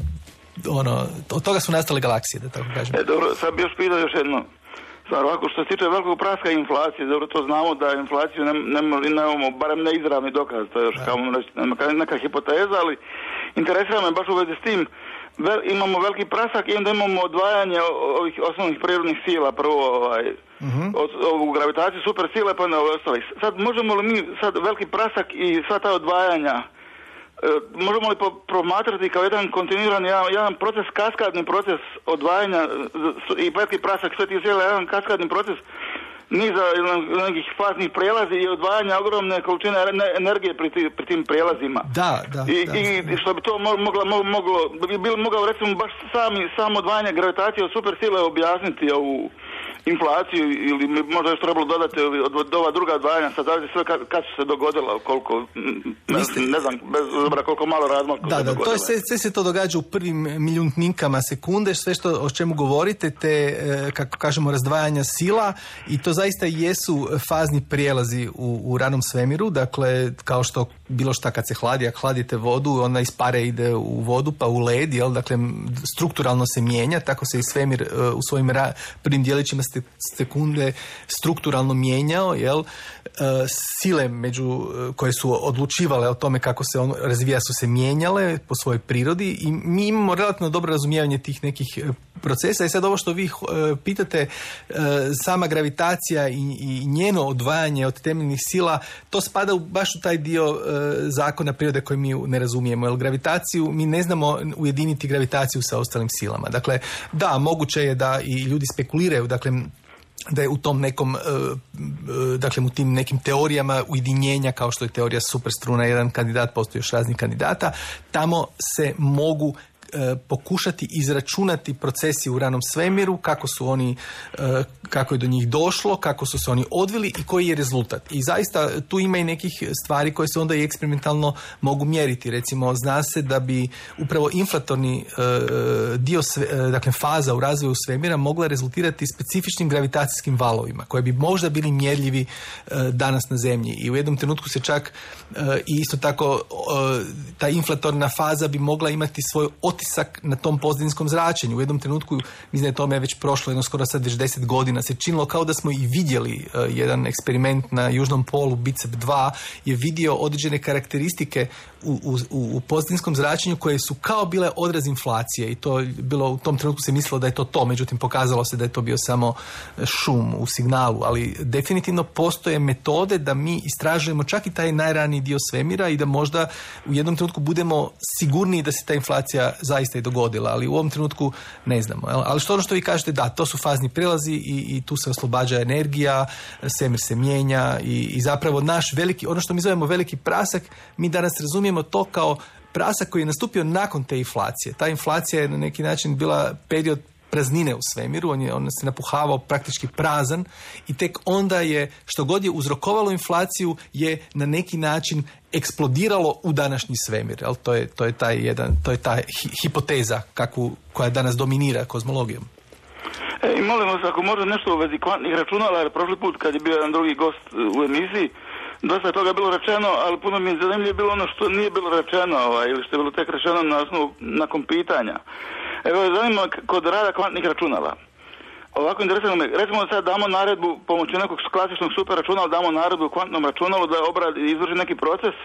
ono, od toga su nastale galaksije, da tako kažem. E, dobro, sad bi još pitao još jedno stvar, ovako, što se tiče velikog praska i inflacije, dobro, to znamo da inflaciju nemamo, ne, barem ne izravni dokaz, to je još kao neka, neka hipoteza, ali interesira me baš u vezi s tim, vel, imamo veliki prasak i onda imamo odvajanje ovih osnovnih prirodnih sila, prvo ovaj, uh-huh. od, ovu gravitaciju, super sile, pa na ove ostale. Sad možemo li mi, sad veliki prasak i sva ta odvajanja, možemo li promatrati kao jedan kontinuirani, jedan, jedan proces, kaskadni proces odvajanja i veliki prasak sve tih sjela, jedan kaskadni proces niza nekih faznih prelazi i odvajanja ogromne količine energije pri, ti, pri tim prijelazima. Da, da. I, da. i što bi to moglo, moglo bi bilo mogao recimo baš sami, samo odvajanje gravitacije od super sile objasniti ovu inflaciju ili možda još trebalo dodati od, od ova druga odvajanja, sad zavisi sve kad, kad su se dogodila, koliko, ne, ne znam, bez obzira koliko malo razmaka. Da, da, to je, sve, sve se to događa u prvim milijuntinkama sekunde, sve što, o čemu govorite, te, kako kažemo, razdvajanja sila, i to zaista jesu fazni prijelazi u, u ranom svemiru, dakle, kao što bilo šta kad se hladi, ako hladite vodu, ona iz pare ide u vodu, pa u led, jel, dakle, strukturalno se mijenja, tako se i svemir u svojim ra, prvim dijelićima sekunde strukturalno mijenjao, jel, sile među koje su odlučivale o tome kako se on razvija su se mijenjale po svojoj prirodi i mi imamo relativno dobro razumijevanje tih nekih procesa. I sad ovo što vi pitate, sama gravitacija i, i njeno odvajanje od temeljnih sila, to spada u, baš u taj dio zakona prirode koji mi ne razumijemo, jer gravitaciju, mi ne znamo ujediniti gravitaciju sa ostalim silama. Dakle, da, moguće je da i ljudi spekuliraju, dakle, da je u tom nekom, dakle u tim nekim teorijama ujedinjenja, kao što je teorija superstruna, jedan kandidat, postoji još raznih kandidata, tamo se mogu pokušati izračunati procesi u ranom svemiru, kako su oni, kako je do njih došlo, kako su se oni odvili i koji je rezultat. I zaista tu ima i nekih stvari koje se onda i eksperimentalno mogu mjeriti. Recimo, zna se da bi upravo inflatorni dio, dakle faza u razvoju svemira mogla rezultirati specifičnim gravitacijskim valovima, koje bi možda bili mjerljivi danas na Zemlji. I u jednom trenutku se čak i isto tako ta inflatorna faza bi mogla imati svoj otisak na tom pozadinskom zračenju. U jednom trenutku, mislim da je tome već prošlo, jedno skoro sad već deset godina, se činilo kao da smo i vidjeli uh, jedan eksperiment na južnom polu, BICEP dva, je vidio određene karakteristike u, u, u pozadinskom zračenju koje su kao bile odraz inflacije i to bilo, u tom trenutku se mislilo da je to to, međutim pokazalo se da je to bio samo šum u signalu, ali definitivno postoje metode da mi istražujemo čak i taj najraniji dio svemira i da možda u jednom trenutku budemo sigurniji da se ta inflacija zaista i dogodila, ali u ovom trenutku ne znamo. Ali što ono što vi kažete, da, to su fazni prelazi i, i tu se oslobađa energija, svemir se mijenja i, i zapravo naš veliki, ono što mi zovemo veliki prasak, mi danas razumijemo to kao prasak koji je nastupio nakon te inflacije. Ta inflacija je na neki način bila period praznine u svemiru, on, je, on se napuhavao praktički prazan i tek onda je, što god je uzrokovalo inflaciju, je na neki način eksplodiralo u današnji svemir. Jel? To je, to je taj jedan, to je ta hi, hipoteza kakvu, koja danas dominira kozmologijom. E, i molim vas, ako može nešto u vezi kvantnih računala, jer prošli put kad je bio jedan drugi gost u emisiji, dosta toga je bilo rečeno, ali puno mi je zanimljivo bilo ono što nije bilo rečeno, ovaj, ili što je bilo tek rečeno na osnovu, nakon pitanja. Evo, zanima kod rada kvantnih računala. Ovako interesantno me, recimo da sad damo naredbu pomoću nekog klasičnog super računala, damo naredbu u kvantnom računalu da obradi, izvrši neki proces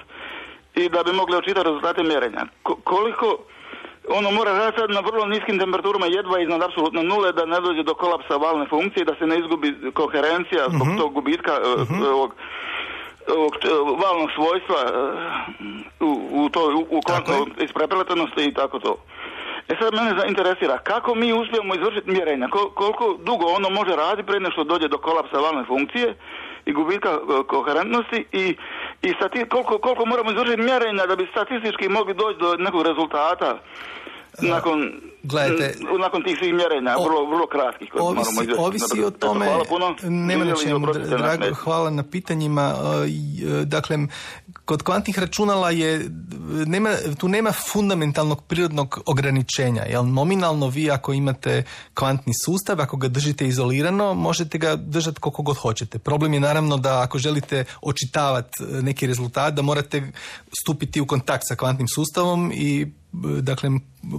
i da bi mogli očitati rezultate mjerenja. Ko, koliko ono mora raditi sad na vrlo niskim temperaturama, jedva iznad apsolutno nule, da ne dođe do kolapsa valne funkcije, da se ne izgubi koherencija zbog uh-huh. tog gubitka uh-huh. ovog, ovog valnog svojstva u, u, to, u, u kvantnoj isprepletenosti i tako to. E sad mene interesira, kako mi uspijemo izvršiti mjerenja, Kol, koliko dugo ono može raditi prije nego što dođe do kolapsa valne funkcije i gubitka koherentnosti i, i stati, koliko, koliko moramo izvršiti mjerenja da bi statistički mogli doći do nekog rezultata nakon, Gledajte, nakon tih svih mjerenja, o, vrlo, vrlo kratkih. Ovisi, ovisi o tome, hvala puno, nema na čemu, drago, hvala na pitanjima. Dakle, kod kvantnih računala je, nema, tu nema fundamentalnog prirodnog ograničenja. Jel? Nominalno vi ako imate kvantni sustav, ako ga držite izolirano, možete ga držati koliko god hoćete. Problem je naravno da ako želite očitavati neki rezultat, da morate stupiti u kontakt sa kvantnim sustavom i dakle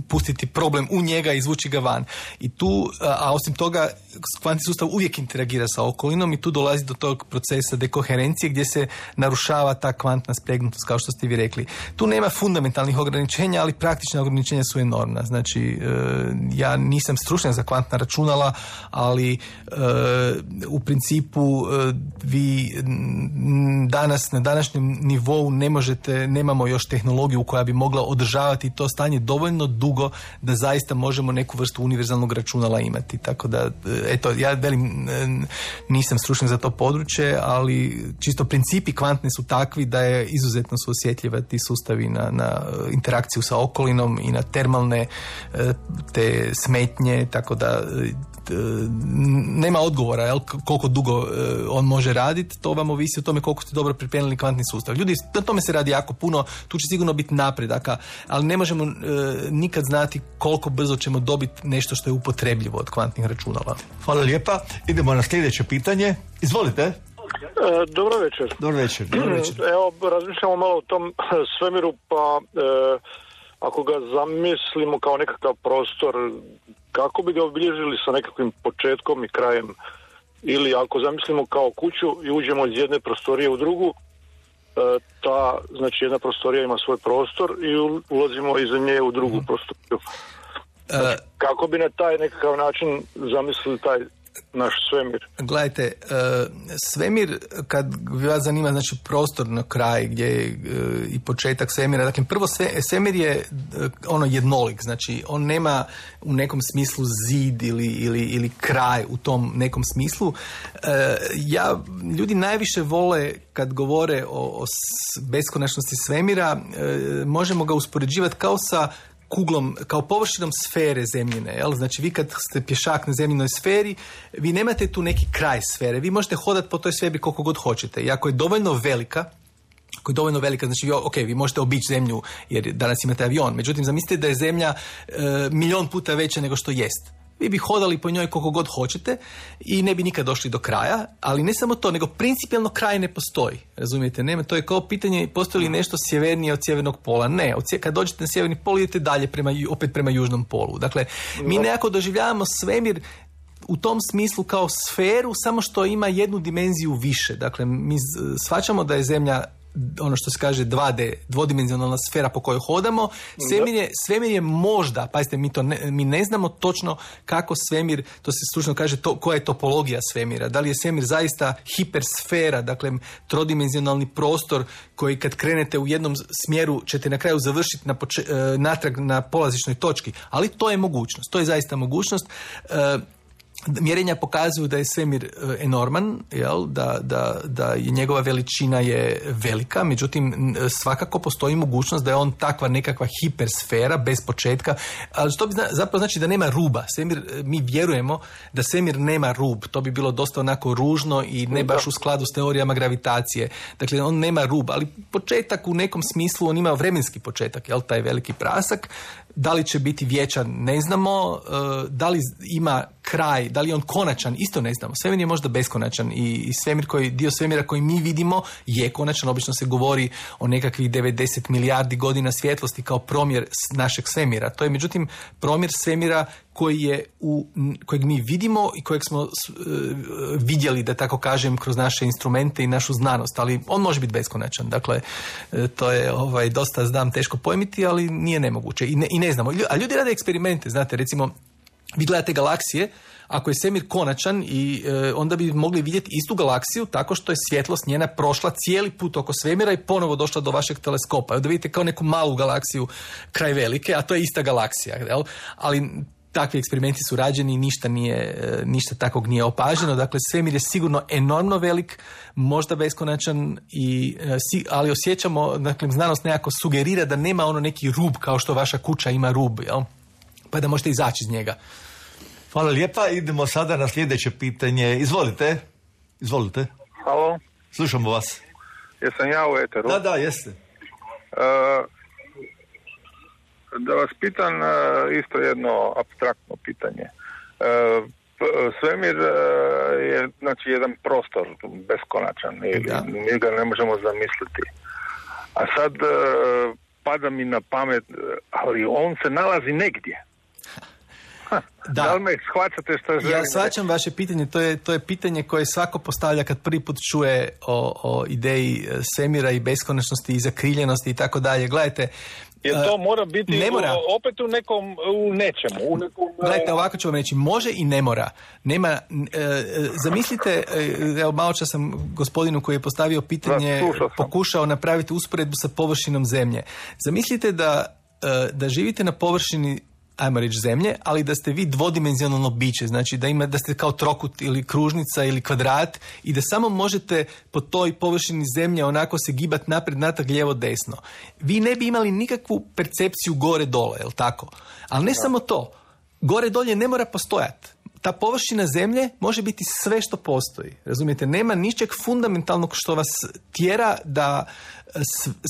pustiti problem u njega i izvući ga van. I tu, a osim toga, kvantni sustav uvijek interagira sa okolinom i tu dolazi do tog procesa dekoherencije gdje se narušava ta kvantna spregnutost, kao što ste vi rekli. Tu nema fundamentalnih ograničenja, ali praktična ograničenja su enormna. Znači, ja nisam stručnjak za kvantna računala, ali u principu vi danas na današnjem nivou ne možete, nemamo još tehnologiju koja bi mogla održavati to stanje dovoljno dugo da zaista možemo neku vrstu univerzalnog računala imati. Tako da, eto, ja velim, nisam stručnjak za to područje, ali čisto principi kvantne su takvi da je izuzetno su osjetljiva ti sustavi na, na interakciju sa okolinom i na termalne te smetnje, tako da nema odgovora, jel, koliko dugo on može raditi, to vam ovisi o tome koliko ste dobro pripremili kvantni sustav. Ljudi, na tome se radi jako puno, tu će sigurno biti napredaka, ali ne možemo e, nikad znati koliko brzo ćemo dobiti nešto što je upotrebljivo od kvantnih računala. Hvala lijepa. Idemo na sljedeće pitanje. Izvolite. E, dobro večer. Dobro večer. Dobro večer. Evo, razmišljamo malo o tom svemiru, pa e, ako ga zamislimo kao nekakav prostor, kako bi ga obilježili sa nekakvim početkom i krajem? Ili ako zamislimo kao kuću i uđemo iz jedne prostorije u drugu, ta, znači jedna prostorija ima svoj prostor i ulazimo iza nje u drugu mm. prostoriju. Znači, kako bi na taj nekakav način zamislili taj naš svemir? Gledajte, svemir, kad vas zanima, znači prostor na kraj gdje je i početak svemira, dakle prvo svemir je ono jednolik, znači on nema u nekom smislu zid ili, ili, ili kraj u tom nekom smislu. Ja, ljudi najviše vole kad govore o, o beskonačnosti svemira, možemo ga uspoređivati kao sa kuglom, kao površinom sfere zemljine. Jel? Znači vi kad ste pješak na zemljinoj sferi, vi nemate tu neki kraj sfere. Vi možete hodati po toj sferi koliko god hoćete. I ako je dovoljno velika, ako je dovoljno velika, znači ok, vi možete obići zemlju jer danas imate avion. Međutim, zamislite da je zemlja e, milion puta veća nego što jest. Vi bi hodali po njoj koliko god hoćete i ne bi nikad došli do kraja, ali ne samo to, nego principijalno kraj ne postoji. Razumijete? Nema, to je kao pitanje postoji li nešto sjevernije od sjevernog pola. Ne, od sje, kad dođete na sjeverni pol idete dalje prema, opet prema južnom polu. Dakle, mi nekako doživljavamo svemir u tom smislu kao sferu, samo što ima jednu dimenziju više. Dakle, mi shvaćamo da je zemlja ono što se kaže dva D, dvodimenzionalna sfera po kojoj hodamo. Svemir je, svemir je možda, pazite, mi, to ne, mi ne znamo točno kako svemir, to se stručno kaže, to, koja je topologija svemira. Da li je svemir zaista hipersfera, dakle trodimenzionalni prostor koji kad krenete u jednom smjeru ćete na kraju završiti na poče- natrag na polazišnoj točki. Ali to je mogućnost, to je zaista mogućnost. Mjerenja pokazuju da je svemir enorman, jel? Da, da, da je njegova veličina je velika, međutim svakako postoji mogućnost da je on takva nekakva hipersfera bez početka, ali to bi zapravo znači da nema ruba. Svemir, mi vjerujemo da svemir nema rub, to bi bilo dosta onako ružno i ne baš u skladu s teorijama gravitacije. Dakle, on nema rub, ali početak u nekom smislu, on ima vremenski početak, jel? Taj veliki prasak. Da li će biti vječan, ne znamo. Da li ima kraj, da li je on konačan, isto ne znamo. Svemir je možda beskonačan i svemir koji, dio svemira koji mi vidimo je konačan. Obično se govori o nekakvih devedeset milijardi godina svjetlosti kao promjer našeg svemira. To je međutim promjer svemira koji je u, kojeg mi vidimo i kojeg smo uh, vidjeli, da tako kažem, kroz naše instrumente i našu znanost, ali on može biti beskonačan. Dakle, uh, to je ovaj, dosta, znam, teško pojmiti, ali nije nemoguće i ne, i ne znamo. A ljudi rade eksperimente, znate, recimo, vi gledate galaksije, ako je svemir konačan i e, onda bi mogli vidjeti istu galaksiju tako što je svjetlost njena prošla cijeli put oko svemira i ponovo došla do vašeg teleskopa. Da vidite kao neku malu galaksiju kraj velike, a to je ista galaksija. Jel? Ali takvi eksperimenti su rađeni i ništa, nije, ništa takvog nije opaženo. Dakle, svemir je sigurno enormno velik, možda beskonačan, i, ali osjećamo, dakle, znanost nekako sugerira da nema ono neki rub kao što vaša kuća ima rub, jel? Pa da možete izaći iz njega. Hvala lijepa. Idemo sada na sljedeće pitanje. Izvolite. Izvolite. Halo. Slušamo vas. Jesam ja u eteru? Da, da, jeste. Uh, da vas pitam uh, isto jedno apstraktno pitanje. Uh, svemir uh, je znači jedan prostor beskonačan i mi ga ne možemo zamisliti. A sad uh, pada mi na pamet, ali on se nalazi negdje. Da. Da li me shvaćate što želim? Ja shvaćam vaše pitanje, to je, to je pitanje koje svako postavlja kad prvi put čuje o, o ideji svemira i beskonačnosti i zakriljenosti i tako dalje. Gledajte, jer to mora biti ne mora. opet u nekom, u nečemu. U nekom, Gledajte, ovako ću vam reći, može i ne mora. Nema, e, zamislite, evo malo čas sam gospodinu koji je postavio pitanje da, pokušao napraviti usporedbu sa površinom zemlje. Zamislite da, da živite na površini, ajmo reći, zemlje, ali da ste vi dvodimenzionalno biće, znači da ima, da ste kao trokut ili kružnica ili kvadrat i da samo možete po toj površini zemlje onako se gibati naprijed, natrag, lijevo, desno. Vi ne bi imali nikakvu percepciju gore dole, jel tako? Ali ne da. Samo to. Gore dolje ne mora postojati. Ta površina zemlje može biti sve što postoji. Razumijete? Nema ničeg fundamentalnog što vas tjera da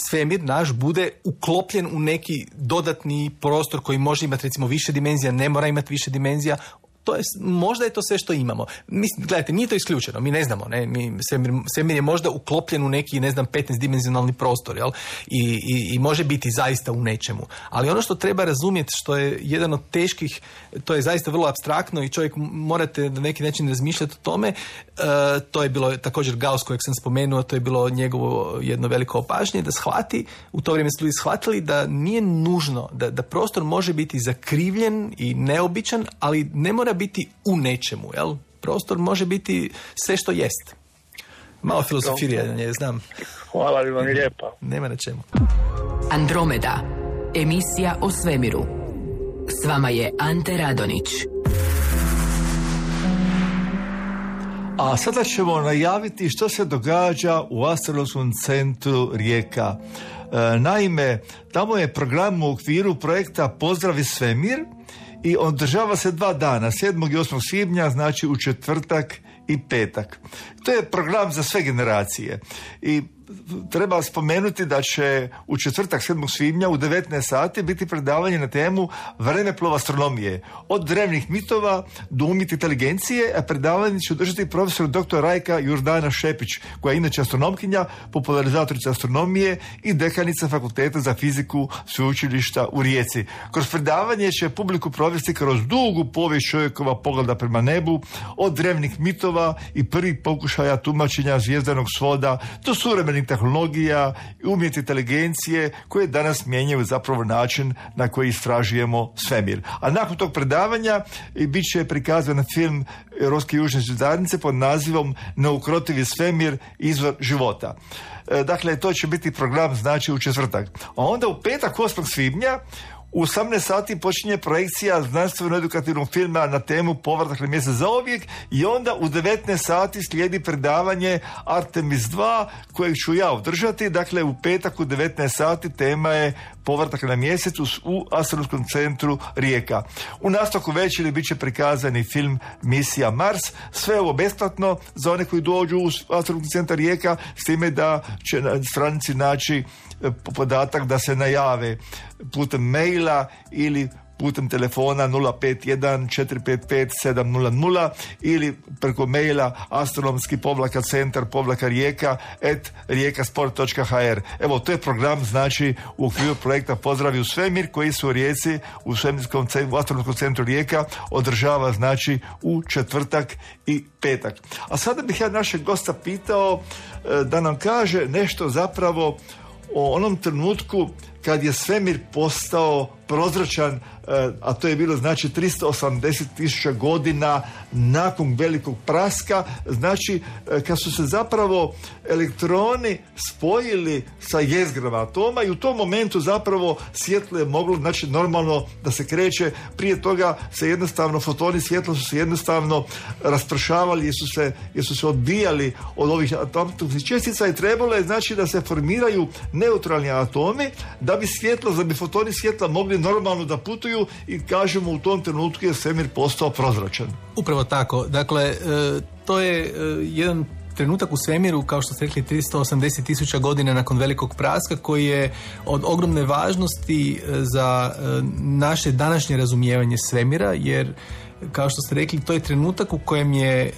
svemir naš bude uklopljen u neki dodatni prostor koji može imati recimo više dimenzija, ne mora imati više dimenzija. To je, možda je to sve što imamo. Mislim, gledajte, nije to isključeno, mi ne znamo, ne? Mi, svemir, svemir je možda uklopljen u neki, ne znam, petnaestdimenzionalni prostor, jel? I, i, i može biti zaista u nečemu. Ali ono što treba razumjeti, što je jedan od teških, to je zaista vrlo apstraktno i čovjek morate na neki način razmišljati o tome, uh, to je bilo također Gauss kojeg sam spomenuo, to je bilo njegovo jedno veliko opažnje, da shvati, u to vrijeme su ljudi shvatili da nije nužno, da, da prostor može biti zakrivljen i neobičan, ali ne mora biti u nečemu, jel? Prostor može biti sve što jest. Malo filozofiranja, znam. Hvala vam lijepa. Nema na čemu. Andromeda, emisija o svemiru. S vama je Ante Radonić. A sada ćemo najaviti što se događa u Astronomskom centru Rijeka. E, naime, tamo je program u okviru projekta Pozdravi svemir i održava se dva dana, sedmog i osmog svibnja, znači u četvrtak i petak. To je program za sve generacije i treba spomenuti da će u četvrtak sedmog svibnja u devetnaest sati biti predavanje na temu vremeplov astronomije. Od drevnih mitova do umjetne inteligencije, a predavanje će održati profesor doktor Rajka Jordana Šepić, koja je inače astronomkinja, popularizatorica astronomije i dekanica Fakulteta za fiziku Sveučilišta u Rijeci. Kroz predavanje će publiku provesti kroz dugu povijest čovjekova pogleda prema nebu, od drevnih mitova i prvih pokušaja tumačenja zvijezdanog svoda do suvremenih tehnologija i umjetne inteligencije koje danas mijenjaju zapravo način na koji istražujemo svemir. A nakon tog predavanja bit će prikazan film Europske južne zajednice pod nazivom Neukrotivi svemir, izvor života. Dakle, to će biti program znači u četvrtak. A onda u petak osmog svibnja U osamnaest sati počinje projekcija znanstveno-edukativnog filma na temu Povratak na mjesec zauvijek i onda u devetnaest sati slijedi predavanje Artemis dva kojeg ću ja održati. Dakle, u petak u devetnaest sati tema je Povratak na mjesec u Astronomskom centru Rijeka. U nastavku večeri bit će prikazani film Misija Mars. Sve ovo besplatno za one koji dođu u Astronomski centar Rijeka, s time da će na stranici naći podatak da se najave putem maila ili putem telefona nula pet jedan četiri pet pet sedam nula nula ili preko maila astronomski povlaka centar povlaka rijeka et rijekasport točka ha er. Evo, to je program, znači, u okviru projekta Pozdravi u svemir, koji se u Rijeci, u svemirskom u astronomskom centru Rijeka održava, znači, u četvrtak i petak. A sada bih ja našeg gosta pitao da nam kaže nešto zapravo o onom trenutku kad je svemir postao prozračan, a to je bilo, znači, tristo osamdeset tisuća godina nakon velikog praska, znači kad su se zapravo elektroni spojili sa jezgrama atoma i u tom momentu zapravo svjetlo je moglo, znači, normalno da se kreće. Prije toga se jednostavno fotoni svjetla su se jednostavno raspršavali jer su se, jer su se odbijali od ovih atomskih čestica i trebalo je, znači, da se formiraju neutralni atomi da bi svjetlo, da bi fotoni svjetla mogli normalno da putuju i, kažemo, u tom trenutku je svemir postao prozračan. Upravo tako. Dakle, e, to je e, jedan trenutak u svemiru, kao što ste rekli, tristo osamdeset tisuća godina nakon velikog praska, koji je od ogromne važnosti za e, naše današnje razumijevanje svemira, jer, kao što ste rekli, to je trenutak u kojem je e,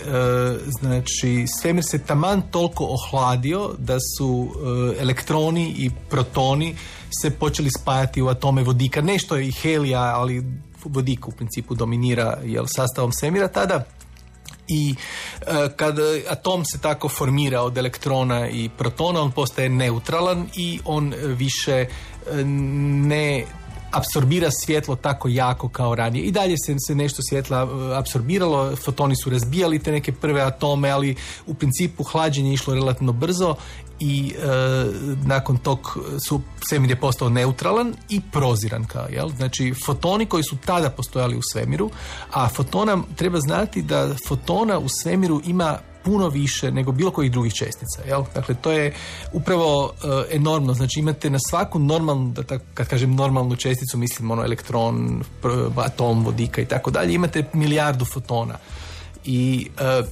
znači svemir se taman toliko ohladio da su e, elektroni i protoni se počeli spajati u atome vodika. Nešto je i helija, ali vodik u principu dominira, jel, sastavom svemira tada. I e, kad atom se tako formira od elektrona i protona, on postaje neutralan i on više e, ne apsorbira svjetlo tako jako kao ranije. I dalje se, se nešto svjetla apsorbiralo, fotoni su razbijali te neke prve atome, ali u principu hlađenje je išlo relativno brzo i e, nakon tog su svemir je postao neutralan i proziran kao, jel? Znači, fotoni koji su tada postojali u svemiru, a fotona, treba znati da fotona u svemiru ima puno više nego bilo kojih drugih čestica, jel? Dakle, to je upravo uh, enormno. Znači, imate na svaku normalnu, da tako, kad kažem normalnu česticu, mislim ono elektron, atom, vodika i tako dalje, imate milijardu fotona. I uh,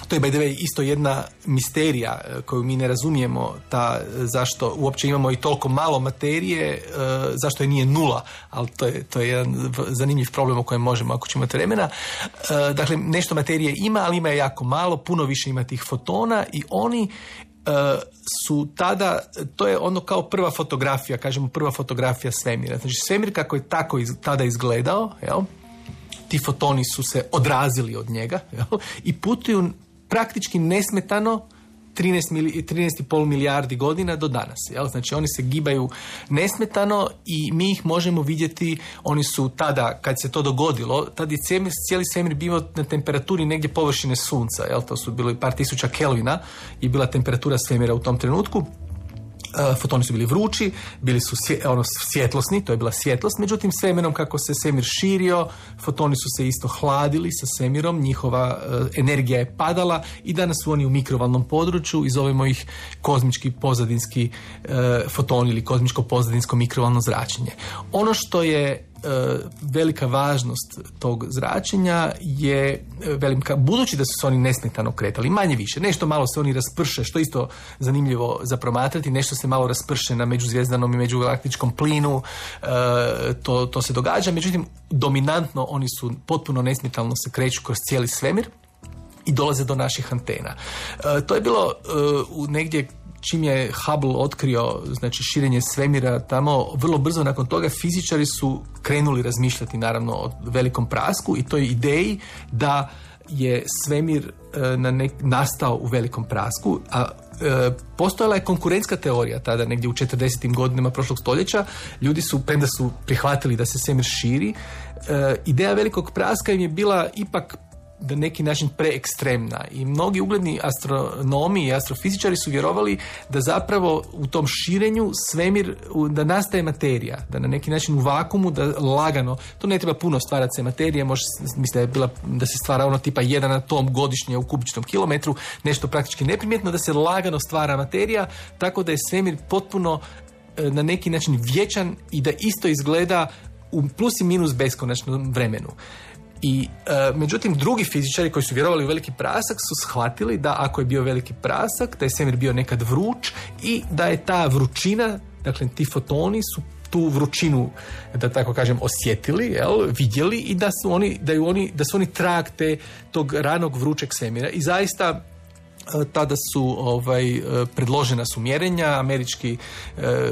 to je, by the way, isto jedna misterija koju mi ne razumijemo, ta, zašto uopće imamo i toliko malo materije, uh, zašto je nije nula, ali to je, to je jedan zanimljiv problem o kojem možemo, ako ćemo imati vremena. Uh, dakle, nešto materije ima, ali ima je jako malo, puno više ima tih fotona i oni uh, su tada, to je ono kao prva fotografija, kažemo prva fotografija svemira. Znači, svemir kako je tako iz, tada izgledao, jel? Ti fotoni su se odrazili od njega, jel? I putuju praktički nesmetano trinaest i pol milijardi godina do danas. Jel? Znači, oni se gibaju nesmetano i mi ih možemo vidjeti. Oni su tada, kad se to dogodilo, tada je cijeli svemir bio na temperaturi negdje površine sunca. Jel? To su bilo par tisuća kelvina i bila temperatura svemira u tom trenutku. Uh, fotoni su bili vrući, bili su svje, ono, svjetlosni, to je bila svjetlost, međutim s vremenom kako se svemir širio, fotoni su se isto hladili sa svemirom, njihova uh, energija je padala i danas su oni u mikrovalnom području i zovemo ih kozmički pozadinski uh, fotoni ili kozmičko pozadinsko mikrovalno zračenje. Ono što je velika važnost tog zračenja je velika, budući da su se oni nesmetano kretali, manje više, nešto malo se oni rasprše, što isto zanimljivo za promatrati, nešto se malo rasprše na međuzvjezdanom i međugalaktičkom plinu, to, to se događa, međutim dominantno oni su potpuno nesmetano se kreću kroz cijeli svemir i dolaze do naših antena. To je bilo u negdje čim je Hubble otkrio, znači, širenje svemira tamo, vrlo brzo nakon toga fizičari su krenuli razmišljati, naravno, o velikom prasku i toj ideji da je svemir e, na nek, nastao u velikom prasku, a e, postojala je konkurentska teorija tada, negdje u četrdesetim godinama prošlog stoljeća. Ljudi su, premda su prihvatili da se svemir širi, e, ideja velikog praska im je bila ipak na neki način preekstremna i mnogi ugledni astronomi i astrofizičari su vjerovali da zapravo u tom širenju svemir, da nastaje materija, da na neki način u vakuumu, da lagano, to ne treba puno stvarati se materije, može mislim da je bila, da se stvara ono tipa jedan atom godišnje u kubičnom kilometru, nešto praktički neprimjetno, da se lagano stvara materija, tako da je svemir potpuno na neki način vječan i da isto izgleda u plus i minus beskonačnom vremenu. I e, međutim drugi fizičari koji su vjerovali u veliki prasak su shvatili da ako je bio veliki prasak, da je svemir bio nekad vruć i da je ta vrućina, dakle ti fotoni su tu vrućinu, da tako kažem, osjetili, jel, vidjeli i da su oni, da ju oni, da su oni trag te tog ranog vrućeg svemira. I zaista tada su ovaj, predložena su mjerenja, američki, e,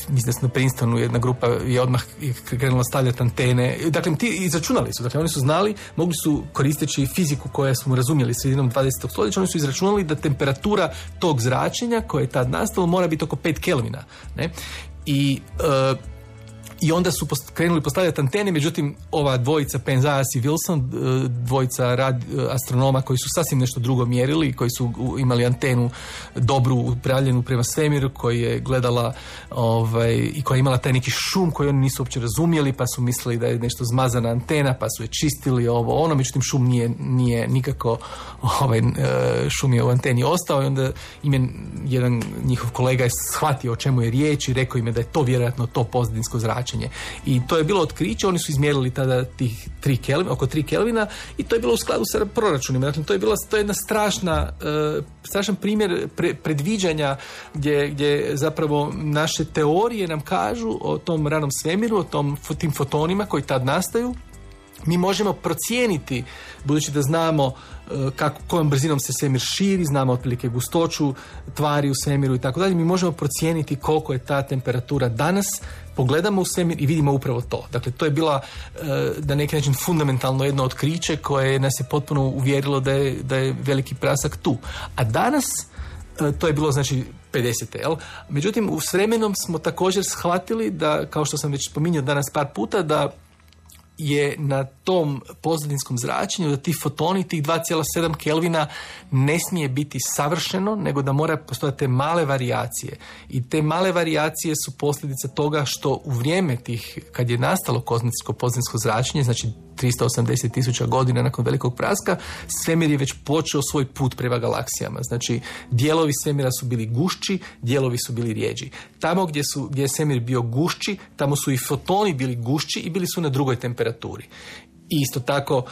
mislim da su na Princetonu jedna grupa je odmah krenula stavljati antene. Dakle, ti izračunali su, dakle, oni su znali, mogli su koristeći fiziku koju smo razumjeli sredinom dvadesetog stoljeća, oni su izračunali da temperatura tog zračenja koje je tad nastalo mora biti oko pet kelvina. Ne? I e, I onda su post, krenuli postavljati antene, međutim ova dvojica Penzias i Wilson, dvojica rad, astronoma koji su sasvim nešto drugo mjerili, koji su imali antenu dobru upravljenu prema svemiru, koji je gledala ovaj, i koja je imala taj neki šum koji oni nisu uopće razumjeli, pa su mislili da je nešto zmazana antena, pa su je čistili ovo ono, međutim šum nije, nije nikako ovaj, šum je u anteni ostao i onda im je jedan njihov kolega je shvatio o čemu je riječ i rekao im je da je to vjerojatno to pozadinsko zračenje. I to je bilo otkriće, oni su izmjerili tada tih tri Kelvina, oko tri Kelvina i to je bilo u skladu sa proračunima. Dakle, to je bila to je jedna strašna, uh, strašan primjer pre, predviđanja gdje, gdje zapravo naše teorije nam kažu o tom ranom svemiru, o tom, tim fotonima koji tad nastaju. Mi možemo procijeniti, budući da znamo kako, kojom brzinom se svemir širi, znamo otprilike gustoću tvari u svemiru i tako dalje, mi možemo procijeniti koliko je ta temperatura danas, pogledamo u svemir i vidimo upravo to. Dakle, to je bila na neki način fundamentalno jedno otkriće koje nas je potpuno uvjerilo da je, da je veliki prasak tu. A danas, to je bilo znači pedesete. Jel? Međutim, s vremenom smo također shvatili da, kao što sam već spominjao danas par puta, da je na tom pozadinskom zračenju da ti fotoni, tih dva zarez sedam Kelvina ne smije biti savršeno, nego da mora postojati te male varijacije. I te male varijacije su posljedica toga što u vrijeme tih, kad je nastalo kozmičko pozadinsko zračenje, znači tristo osamdeset tisuća godina nakon velikog praska, svemir je već počeo svoj put prema galaksijama. Znači, dijelovi svemira su bili gušći, dijelovi su bili rijeđi. Tamo gdje, su, gdje je svemir bio gušći, tamo su i fotoni bili gušći i bili su na drugoj temperaturi. I isto tako,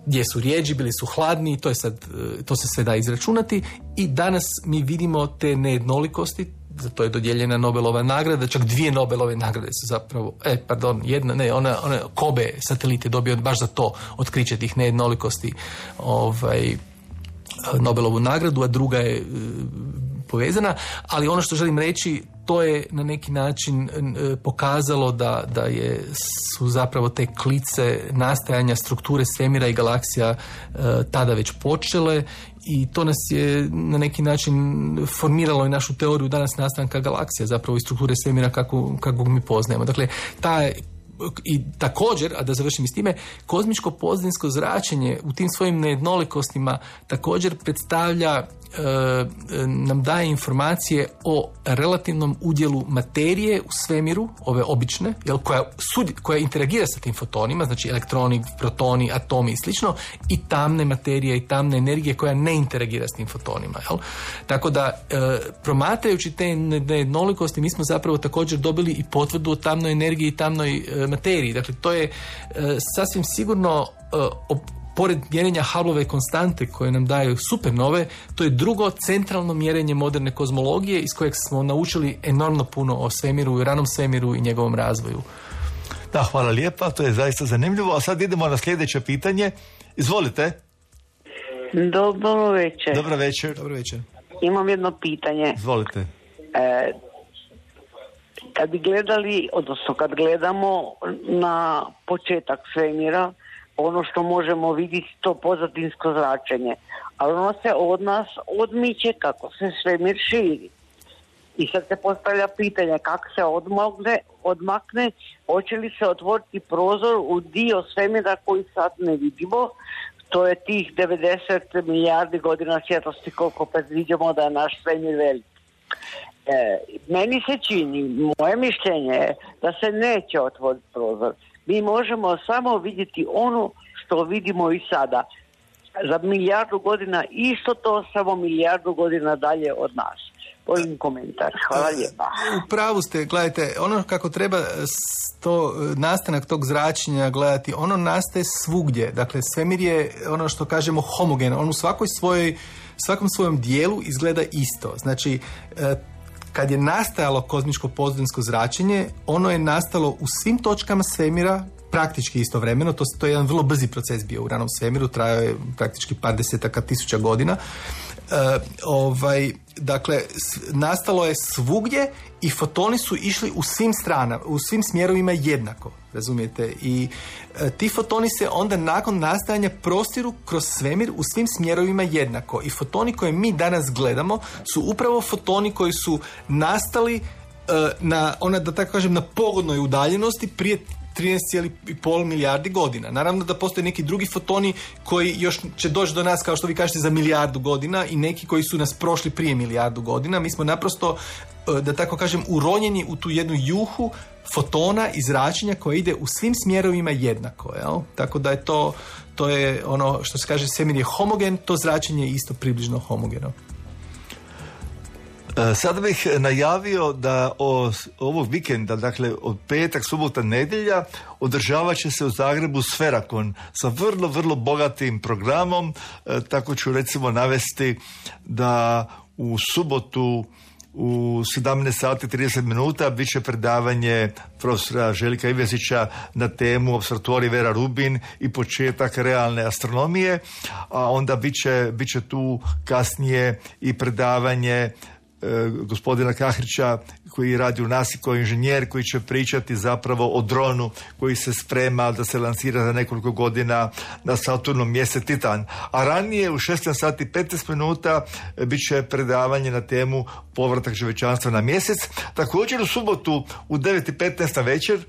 gdje su rijeđi, bili su hladni, to je sad, to se sve da izračunati i danas mi vidimo te nejednolikosti. Za to je dodijeljena Nobelova nagrada, čak dvije Nobelove nagrade su zapravo, e, pardon, jedna, ne, ona, ona Kobe satelit je dobio baš za to otkriće tih nejednolikosti ovaj, Nobelovu nagradu, a druga je e, povezana, ali ono što želim reći, to je na neki način e, pokazalo da, da je, su zapravo te klice nastajanja strukture svemira i galaksija e, tada već počele i to nas je na neki način formiralo i našu teoriju danas nastanka galaksija, zapravo i strukture svemira kako, kako mi poznajemo. Dakle, ta i također, a da završim s time, kozmičko pozadinsko zračenje u tim svojim nejednolikostima također predstavlja, e, nam daje informacije o relativnom udjelu materije u svemiru, ove obične, jel, koja, sud, koja interagira sa tim fotonima, znači elektroni, protoni, atomi i slično, i tamne materije i tamne energije koja ne interagira s tim fotonima. Jel? Tako da, e, promatrajući te nejednolikosti, mi smo zapravo također dobili i potvrdu o tamnoj energiji i tamnoj e, materiji. Dakle, to je e, sasvim sigurno e, op, pored mjerenja Hubbleove konstante koje nam daju supernove, to je drugo centralno mjerenje moderne kozmologije iz kojeg smo naučili enormno puno o svemiru, ranom svemiru i njegovom razvoju. Da, hvala lijepa, to je zaista zanimljivo. A sad idemo na sljedeće pitanje. Izvolite. Dobro večer. Dobro večer. Dobro večer. Imam jedno pitanje. Izvolite. E, kad bi gledali, odnosno kad gledamo na početak svemira, ono što možemo vidjeti to pozadinsko zračenje, ali ono se od nas odmiče kako se svemir širi. I sad se postavlja pitanje kako se odmakne, odmakne, hoće li se otvoriti prozor u dio svemira koji sad ne vidimo, to je tih devedeset milijardi godina svjetlosti koliko predviđamo da je naš svemir velik. E, meni se čini, moje mišljenje je da se neće otvoriti prozor. Mi možemo samo vidjeti ono što vidimo i sada. Za milijardu godina isto to, samo milijardu godina dalje od nas. Volim komentar. Hvala lijepa. U pravu ste, gledajte, ono kako treba to, nastanak tog zračenja gledati, ono nastaje svugdje. Dakle, svemir je ono što kažemo homogeno. On u svakoj svojoj, svakom svojom dijelu izgleda isto. Znači, kad je nastajalo kozmičko pozadinsko zračenje, ono je nastalo u svim točkama svemira praktički istovremeno. To, to je jedan vrlo brzi proces bio u ranom svemiru, trajao je praktički par desetaka tisuća godina. E, ovaj, dakle, nastalo je svugdje i fotoni su išli u svim stranama, u svim smjerovima jednako, razumijete? I e, ti fotoni se onda nakon nastajanja prostiru kroz svemir u svim smjerovima jednako. I fotoni koje mi danas gledamo su upravo fotoni koji su nastali e, na, ona, da tako kažem, na pogodnoj udaljenosti prije trinaest zarez pet milijardi godina. Naravno da postoje neki drugi fotoni koji još će doći do nas, kao što vi kažete, za milijardu godina i neki koji su nas prošli prije milijardu godina. Mi smo naprosto, da tako kažem, uronjeni u tu jednu juhu fotona i zračenja koja ide u svim smjerovima jednako. Jel? Tako da je to, to je ono što se kaže, svemir je homogen, to zračenje je isto približno homogeno. Sada bih najavio da o, ovog vikenda, dakle od petak, subota, nedjelja, održavat će se u Zagrebu Sferakon sa vrlo, vrlo bogatim programom. E, tako ću recimo navesti da u subotu u sedamnaest sati i trideset minuta bit će predavanje profesora Željka Ivezića na temu Opservatorij Vera Rubin i početak realne astronomije, a onda bit će, bit će tu kasnije i predavanje gospodina Kahrića koji radi u nasi kao inženjer, koji će pričati zapravo o dronu koji se sprema da se lansira za nekoliko godina na Saturnom mjesec Titan. A ranije u šesnaest sati i petnaest minuta bit će predavanje na temu povratak čovječanstva na mjesec. Također u subotu u devet i petnaest na večer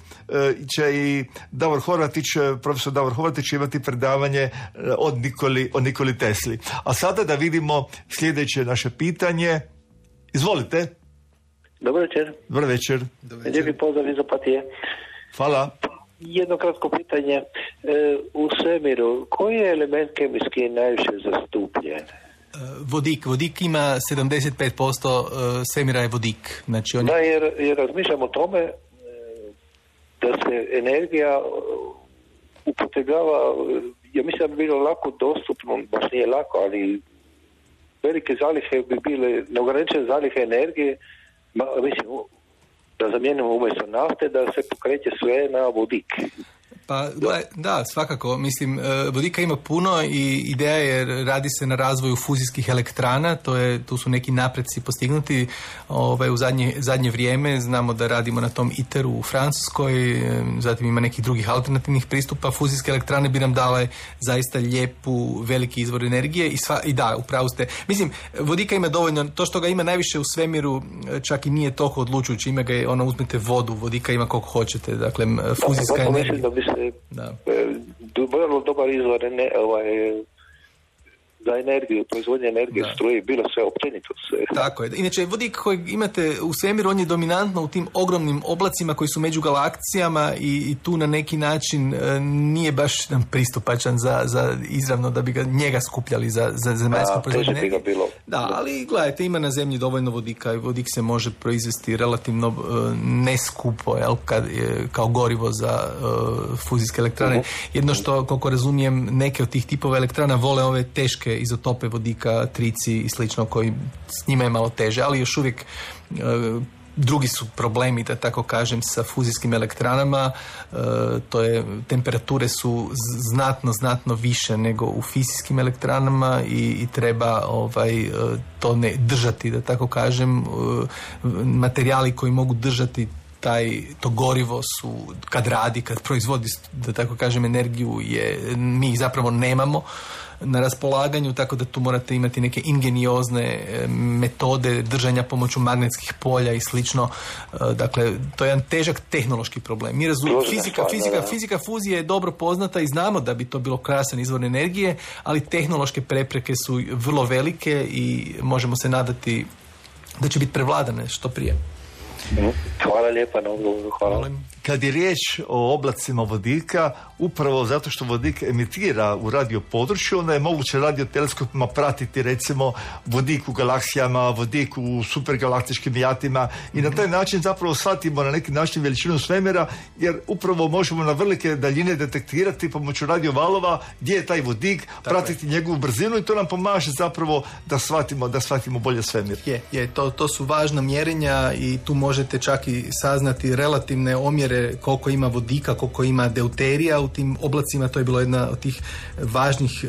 će i Davor Horvatić, profesor Davor Horvatić imati predavanje od Nikoli, o Nikoli Tesli. A sada da vidimo sljedeće naše pitanje. Izvolite. Dobar večer. Dobar večer. Lijepi pozdrav iz Opatije. Hvala. Jedno kratko pitanje. E, u svemiru, koji je element kemijski najviše zastupljen? Vodik. Vodik ima sedamdeset pet posto svemira je vodik. Znači on... Da, jer, jer razmišljam o tome da se energija upotrebljava, ja mislim da bi bilo lako dostupno, baš nije lako, ali velike zalihe bi bile, neograničene zalihe energije, ma, mislim, da zamijenimo umjesto nafte, da se pokreće sve na vodik. Pa da, da, svakako. Mislim, vodika ima puno i ideja je, radi se na razvoju fuzijskih elektrana, to je, tu su neki napreci postignuti ovaj, u zadnje, zadnje vrijeme. Znamo da radimo na tom iteru u Francuskoj, zatim ima nekih drugih alternativnih pristupa. Fuzijske elektrane bi nam dale zaista lijepu, veliki izvor energije i, sva, i da, upravo ste. Mislim, vodika ima dovoljno, to što ga ima najviše u svemiru čak i nije toliko odlučujući, ima ga, ono, uzmete vodu, vodika ima koliko hoćete, dakle, fuzijska da, energija. Da. Vrlo dobar izvor ne, ovaj, za energiju, proizvodnje energije, da. Struje, bilo sve općenito. Sve. Tako je. Inače, vodik koji imate u svemiru, on je dominantno u tim ogromnim oblacima koji su među galaksijama i, i tu na neki način e, nije baš nam pristupačan za, za izravno da bi ga njega skupljali za, za zemaljsku proizvodnju energije. Da, ali gledajte, ima na zemlji dovoljno vodika i vodik se može proizvesti relativno e, neskupo, jel, kad, je, kao gorivo za e, fuzijske elektrane. Uh-huh. Jedno što, koliko razumijem, neke od tih tipova elektrana vole ove teške izotope vodika, trici i slično, koji s njima je malo teže, ali još uvijek e, drugi su problemi, da tako kažem, sa fuzijskim elektranama. E, to je, temperature su znatno, znatno više nego u fizijskim elektranama i, i treba ovaj, to ne držati, da tako kažem, e, materijali koji mogu držati taj, to gorivo su, kad radi, kad proizvodi, da tako kažem, energiju, je, mi ih zapravo nemamo na raspolaganju, tako da tu morate imati neke ingeniozne metode držanja pomoću magnetskih polja i slično. Dakle, to je jedan težak tehnološki problem. Mi razumijemo, fizika, fizika, fizika fuzije je dobro poznata i znamo da bi to bilo krasan izvor energije, ali tehnološke prepreke su vrlo velike i možemo se nadati da će biti prevladane što prije. Hvala lijepa na odgovoru. Hvala. Kad je riječ o oblacima vodika, upravo zato što vodik emitira u radio području, onda je moguće radioteleskopima pratiti recimo vodik u galaksijama, vodik u supergalaktičkim jatima i na taj način zapravo shvatimo na neki način veličinu svemira, jer upravo možemo na velike daljine detektirati pomoću radiovalova gdje je taj vodik, tako pratiti je. njegovu brzinu i to nam pomaže zapravo da shvatimo, da shvatimo bolje svemir. Je, je to, to su važna mjerenja i tu možete čak i saznati relativne omjere koliko ima vodika, koliko ima deuterija u tim oblacima. To je bilo jedna od tih važnih e,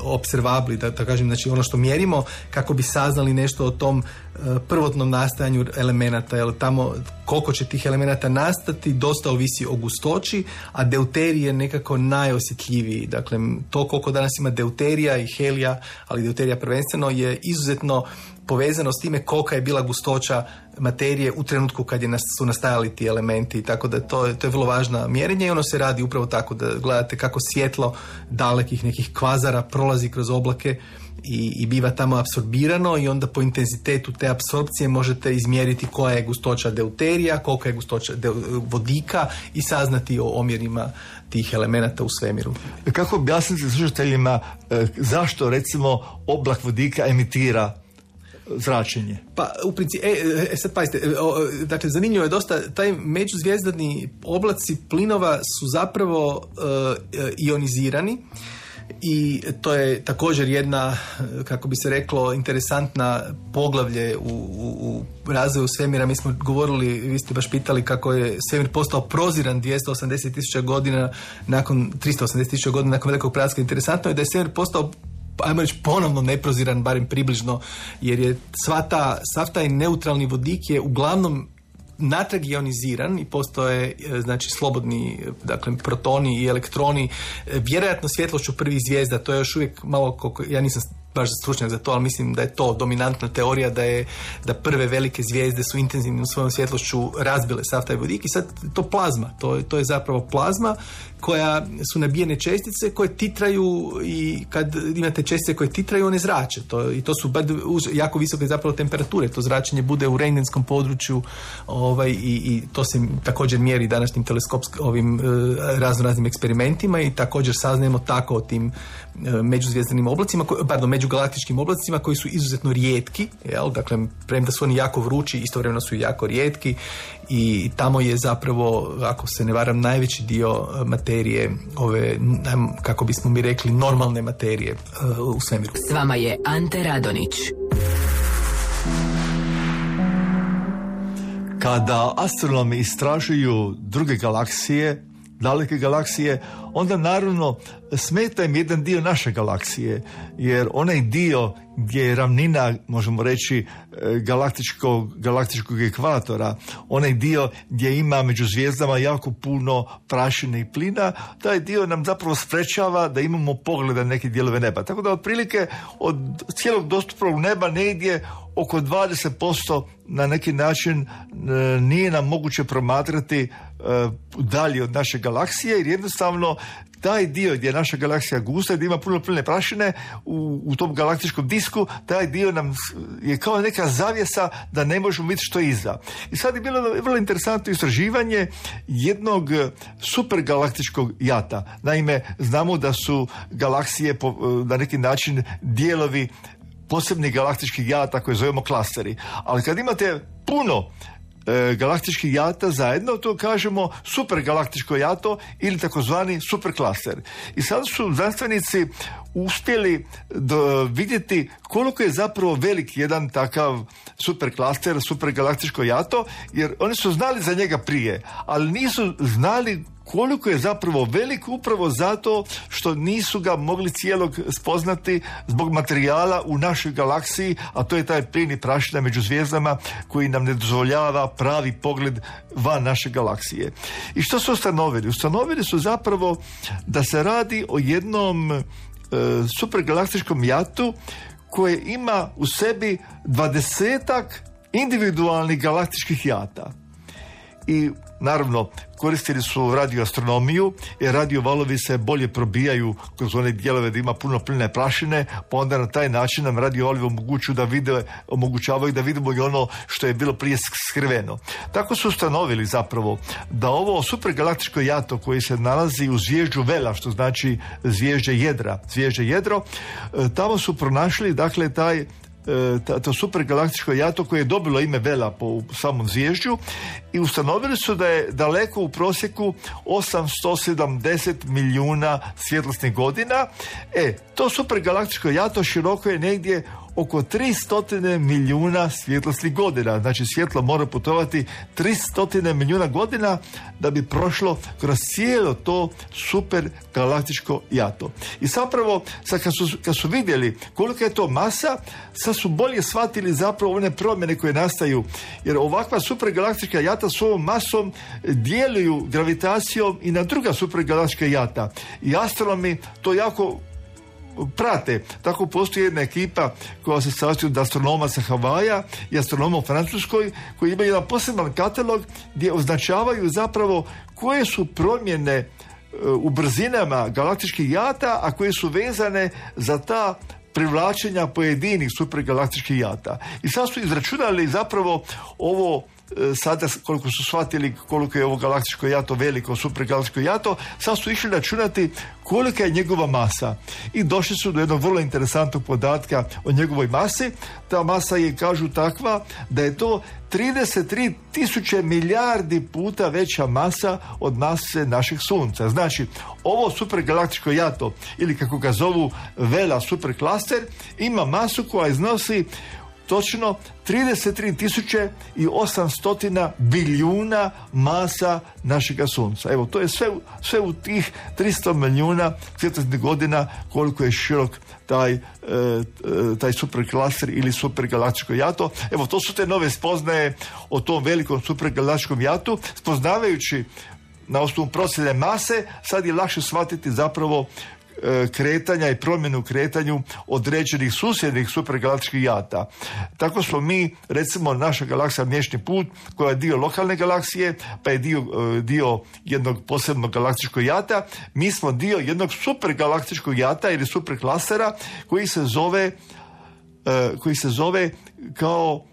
observabli, da, da kažem, znači ono što mjerimo kako bi saznali nešto o tom e, prvotnom nastajanju elemenata, jer tamo koliko će tih elemenata nastati dosta ovisi o gustoći, a deuterij je nekako najosjetljiviji. Dakle, to koliko danas ima deuterija i helija, ali deuterija prvenstveno, je izuzetno povezano s time kolika je bila gustoća materije u trenutku kad je nas, su nastajali ti elementi, tako da to, to je vrlo važna mjerenje i ono se radi upravo tako da gledate kako svjetlo dalekih nekih kvazara prolazi kroz oblake i, i biva tamo apsorbirano i onda po intenzitetu te apsorpcije možete izmjeriti koja je gustoća deuterija, kolika je gustoća de, vodika i saznati o omjerima tih elemenata u svemiru. Kako objasniti slušateljima e, zašto recimo oblak vodika emitira zračenje? Pa u principu, e, e, sad pazite, e, o, dakle zanimljivo je dosta, taj međuzvijezdani oblaci plinova su zapravo e, ionizirani i to je također jedna, kako bi se reklo, interesantna poglavlje u, u, u razvoju svemira. Mi smo govorili, vi ste baš pitali kako je svemir postao proziran dvjesto osamdeset tisuća godina nakon, tristo osamdeset tisuća godina nakon velikog prelaska. Interesantno je da je svemir postao, ajmo reći, ponovno neproziran, barem približno, jer je sva ta, sav taj neutralni vodik je uglavnom natrag ioniziran i postoje, znači, slobodni, dakle, protoni i elektroni, vjerojatno svjetlošću prvih zvijezda. To je još uvijek malo, koliko, ja nisam baš stručnjak za to, ali mislim da je to dominantna teorija, da je da prve velike zvijezde su intenzivno u svojom svjetlošću razbile sav taj vodik i sad to plazma, to, to je zapravo plazma koja su nabijene čestice koje titraju i kad imate čestice koje titraju, one zrače. To, i to su jako visoke zapravo temperature. To zračenje bude u rentgenskom području ovaj, i, i to se također mjeri današnjim teleskopskim ovim e, razno raznim eksperimentima i također saznajemo tako o tim e, međuzvijezdanim oblacima, ko, pardon, međugalaktičkim oblacima koji su izuzetno rijetki, jel? Dakle, premda su oni jako vrući, istovremeno su jako rijetki i tamo je zapravo, ako se ne varam, najveći dio materije, ove, kako bismo mi rekli, normalne materije uh, u svemiru. S vama je Ante Radonić. Kada astronomi istražuju druge galaksije, daleke galaksije, onda naravno smeta im jedan dio naše galaksije, jer onaj dio gdje je ravnina, možemo reći, galaktičkog, galaktičkog ekvatora, onaj dio gdje ima među zvijezdama jako puno prašine i plina, taj dio nam zapravo sprečava da imamo pogled na neke dijelove neba. Tako da otprilike od cijelog dostupnog neba negdje oko dvadeset posto na neki način nije nam moguće promatrati dalje od naše galaksije, jer jednostavno taj dio gdje je naša galaksija gusta, gdje ima puno pline prašine u, u tom galaktičkom disku, taj dio nam je kao neka zavjesa da ne možemo vidjeti što je iza. I sad je bilo vrlo interesantno istraživanje jednog supergalaktičkog jata. Naime, znamo da su galaksije po, na neki način dijelovi posebnih galaktičkih jata koje zovemo klasteri. Ali kad imate puno e, galaktičkih jata zajedno, to kažemo supergalaktičko jato ili takozvani superklaster. I sad su znanstvenici uspjeli do, vidjeti koliko je zapravo velik jedan takav superklaster, supergalaktičko jato, jer oni su znali za njega prije, ali nisu znali koliko je zapravo velik upravo zato što nisu ga mogli cijelog spoznati zbog materijala u našoj galaksiji, a to je taj plin i prašina među zvijezdama koji nam ne dozvoljava pravi pogled van naše galaksije. I što su ustanovili? Ustanovili su zapravo da se radi o jednom e, supergalaktičkom jatu koje ima u sebi dvadesetak individualnih galaktičkih jata. I naravno koristili su radioastronomiju, jer radiovalovi se bolje probijaju kroz one dijelove da ima puno pline prašine, pa onda na taj način nam radiovalovi omogućuju da vide, omogućavaju da vidimo i ono što je bilo prije skriveno. Tako su ustanovili zapravo da ovo supergalaktičko jato koje se nalazi u zvježđu Vela, što znači zvježđe jedra, zvježđe jedro, tamo su pronašli dakle taj to supergalaktičko jato koje je dobilo ime Vela po samom zvježđu i ustanovili su da je daleko u prosjeku osamsto sedamdeset milijuna svjetlosnih godina. E, to supergalaktičko jato široko je negdje oko tristo milijuna svjetlosnih godina. Znači svjetlo mora putovati tristo milijuna godina da bi prošlo kroz cijelo to supergalaktičko jato. I zapravo, sad kad su, kad su vidjeli kolika je to masa, sad su bolje shvatili zapravo one promjene koje nastaju. Jer ovakva supergalaktička jata s ovom masom djeluju gravitacijom i na druga supergalaktička jata. I astronomi to jako prate. Tako postoji jedna ekipa koja se sastoji od astronoma sa Havaja i astronoma u Francuskoj koji imaju jedan poseban katalog gdje označavaju zapravo koje su promjene u brzinama galaktičkih jata, a koje su vezane za ta privlačenja pojedinih supergalaktičkih jata. I sad su izračunali zapravo ovo sada koliko su shvatili koliko je ovo galaktičko jato veliko, supergalaktičko jato, sad su išli računati kolika je njegova masa i došli su do jednog vrlo interesantnog podatka o njegovoj masi. Ta masa je, kažu, takva da je to trideset tri tisuće milijardi puta veća masa od mase našeg sunca. Znači, ovo supergalaktičko jato, ili kako ga zovu Vela superklaster, ima masu koja iznosi točno trideset tri tisuće osamsto bilijuna masa našega sunca. Evo, to je sve, sve u tih tristo milijuna svjetlosnih godina koliko je širok taj, e, taj superklaster ili supergalaktičko jato. Evo, to su te nove spoznaje o tom velikom supergalaktičkom jatu. Spoznavajući na osnovu procjene mase, sad je lakše shvatiti zapravo kretanja i promjenu u kretanju određenih susjednih supergalaktičkih jata. Tako smo mi, recimo, naša galaksija Mliječni put, koja je dio lokalne galaksije, pa je dio, dio jednog posebnog galaktičkog jata, mi smo dio jednog supergalaktičkog jata ili superklastera koji se zove koji se zove kao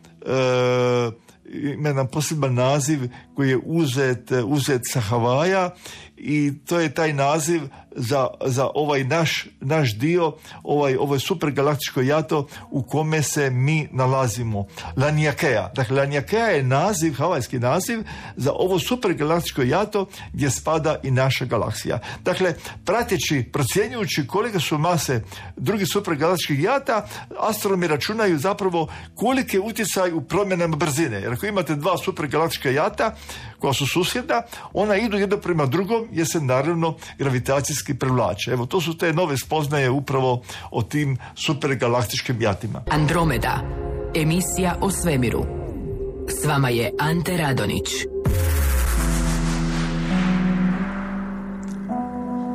ima jedan poseban naziv koji je uzet, uzet sa Havaja i to je taj naziv za, za ovaj naš, naš dio, ovaj, ovaj supergalaktičko jato u kome se mi nalazimo. Laniakea. Dakle, Laniakea je naziv, havajski naziv za ovo supergalaktičko jato gdje spada i naša galaksija. Dakle, prateći, procjenjujući kolike su mase drugih supergalaktičkih jata, astronomi računaju zapravo koliki je utjecaj u promjenama brzine. Jer ako imate dva supergalaktička jata koja su susjedna, ona idu jedno prema drugom jer se naravno gravitacijski privlače. Evo, to su te nove spoznaje upravo o tim supergalaktičkim jatima. Andromeda, emisija o svemiru. S vama je Ante Radonić.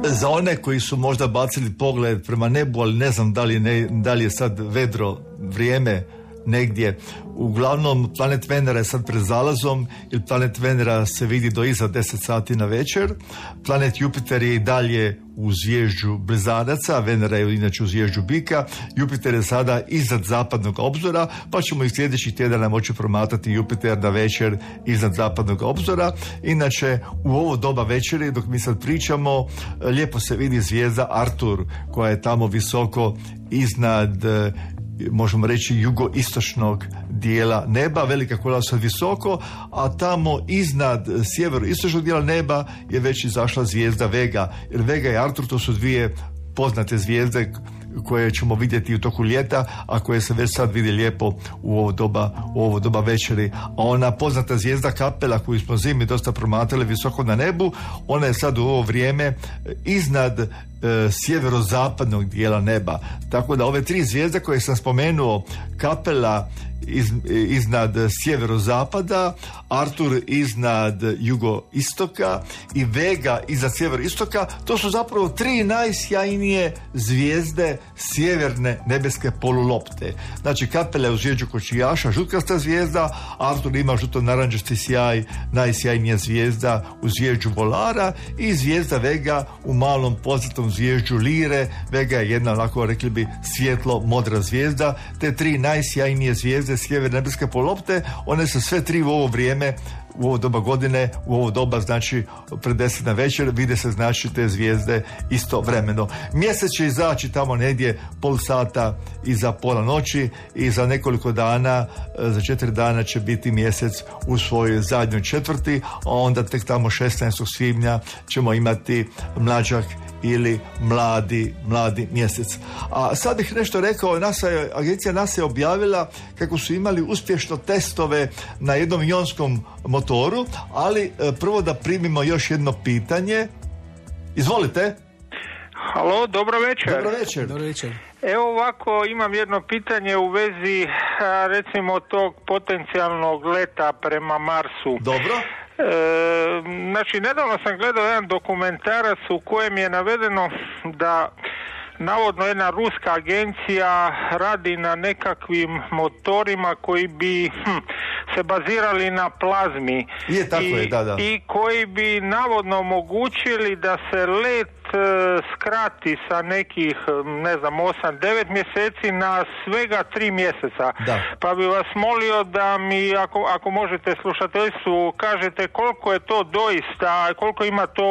Za one koji su možda bacili pogled prema nebu, ali ne znam da li, ne, da li je sad vedro vrijeme negdje. Uglavnom, planet Venera je sad pred zalazom, jer planet Venera se vidi do iza deset sati na večer. Planet Jupiter je i dalje u zvježđu Blizanaca, Venera je inače u zvježđu Bika. Jupiter je sada iznad zapadnog obzora, pa ćemo i sljedećih tjedana moći promatrati Jupiter na večer iznad zapadnog obzora. Inače, u ovo doba večeri, dok mi sad pričamo, lijepo se vidi zvijezda Artur, koja je tamo visoko iznad, možemo reći, jugoistočnog dijela neba, velika kola sad visoko, a tamo iznad sjeveroistočnog dijela neba je već izašla zvijezda Vega, jer Vega i Artur to su dvije poznate zvijezde koje ćemo vidjeti u toku ljeta, a koje se već sad vidi lijepo u ovo doba, u ovo doba večeri. A ona poznata zvijezda Kapela koju smo zimi dosta promatrali visoko na nebu, ona je sad u ovo vrijeme iznad e, sjeverozapadnog dijela neba. Tako da ove tri zvijezde koje sam spomenuo, Kapela iz, iznad sjeverozapada, Artur iznad jugoistoka i Vega iznad sjeveroistoka, to su zapravo tri najsjajnije zvijezde sjeverne nebeske polulopte. Znači Kapela je u zvijezdu kočijaša, žutkasta zvijezda, Artur ima žuto-narančasti sjaj, najsjajnija zvijezda u zvijezdu volara, i zvijezda Vega u malom poznatom zvijezdu Lire. Vega je jedna, onako rekli bi, svjetlo modra zvijezda. Te tri najsjajnije zvijezde sjeverne nebeske polulopte, one su sve tri u ovo vrijeme, u ovo doba godine, u ovo doba, znači pred deset na večer, vide se znači te zvijezde istovremeno. Mjesec će izaći tamo negdje pol sata iza pola noći i za nekoliko dana, za četiri dana će biti mjesec u svojoj zadnjoj četvrti, a onda tek tamo šesnaestog svibnja ćemo imati mlađak ili mladi, mladi mjesec. A sad bih nešto rekao, NASA je, agencija NASA je objavila kako su imali uspješno testove na jednom ionskom motoru, ali prvo da primimo još jedno pitanje. Izvolite. Halo, dobro večer. Dobro večer. Dobro večer. Evo ovako, imam jedno pitanje u vezi recimo tog potencijalnog leta prema Marsu. Dobro. E, znači, nedavno sam gledao jedan dokumentarac u kojem je navedeno da navodno jedna ruska agencija radi na nekakvim motorima koji bi hm, se bazirali na plazmi. Je, tako I, je, da, da. i koji bi navodno omogućili da se let e, skrati sa nekih, ne znam, osam devet mjeseci na svega tri mjeseca. Da. Pa bi vas molio da mi, ako, ako možete slušateljstvu, kažete koliko je to doista, koliko ima to,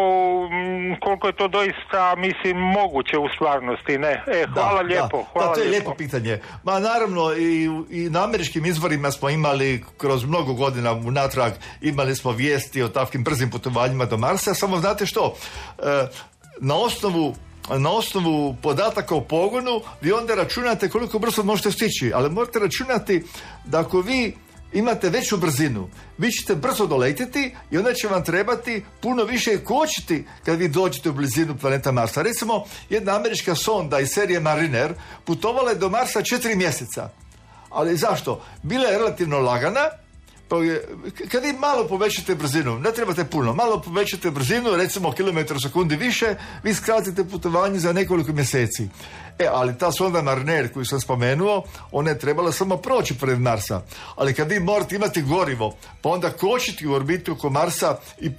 koliko je to doista, mislim, moguće u stvarnosti, ne? E, hvala da, lijepo. Da, hvala da, to je lijepo. lijepo pitanje. Ma naravno i, i na američkim izvorima smo imali kroz mnogo godina unatrag, imali smo vijesti o takvim brzim putovanjima do Marsa, samo znate što, e, na osnovu na osnovu podataka o pogonu vi onda računate koliko brzo možete stići, ali morate računati da ako vi imate veću brzinu, vi ćete brzo doletiti i onda će vam trebati puno više kočiti kad vi dođete u blizinu planeta Marsa. Recimo, jedna američka sonda iz serije Mariner putovala je do Marsa četiri mjeseca. Ali zašto? Bila je relativno lagana, pa je, kad vi malo povećate brzinu, ne trebate puno, malo povećate brzinu, recimo kilometar u sekundi više, vi skratite putovanje za nekoliko mjeseci. E, ali ta sonda Mariner koju sam spomenuo, ona je trebala samo proći pred Marsa. Ali kad vi morate imati gorivo, pa onda kočiti u orbitu oko Marsa i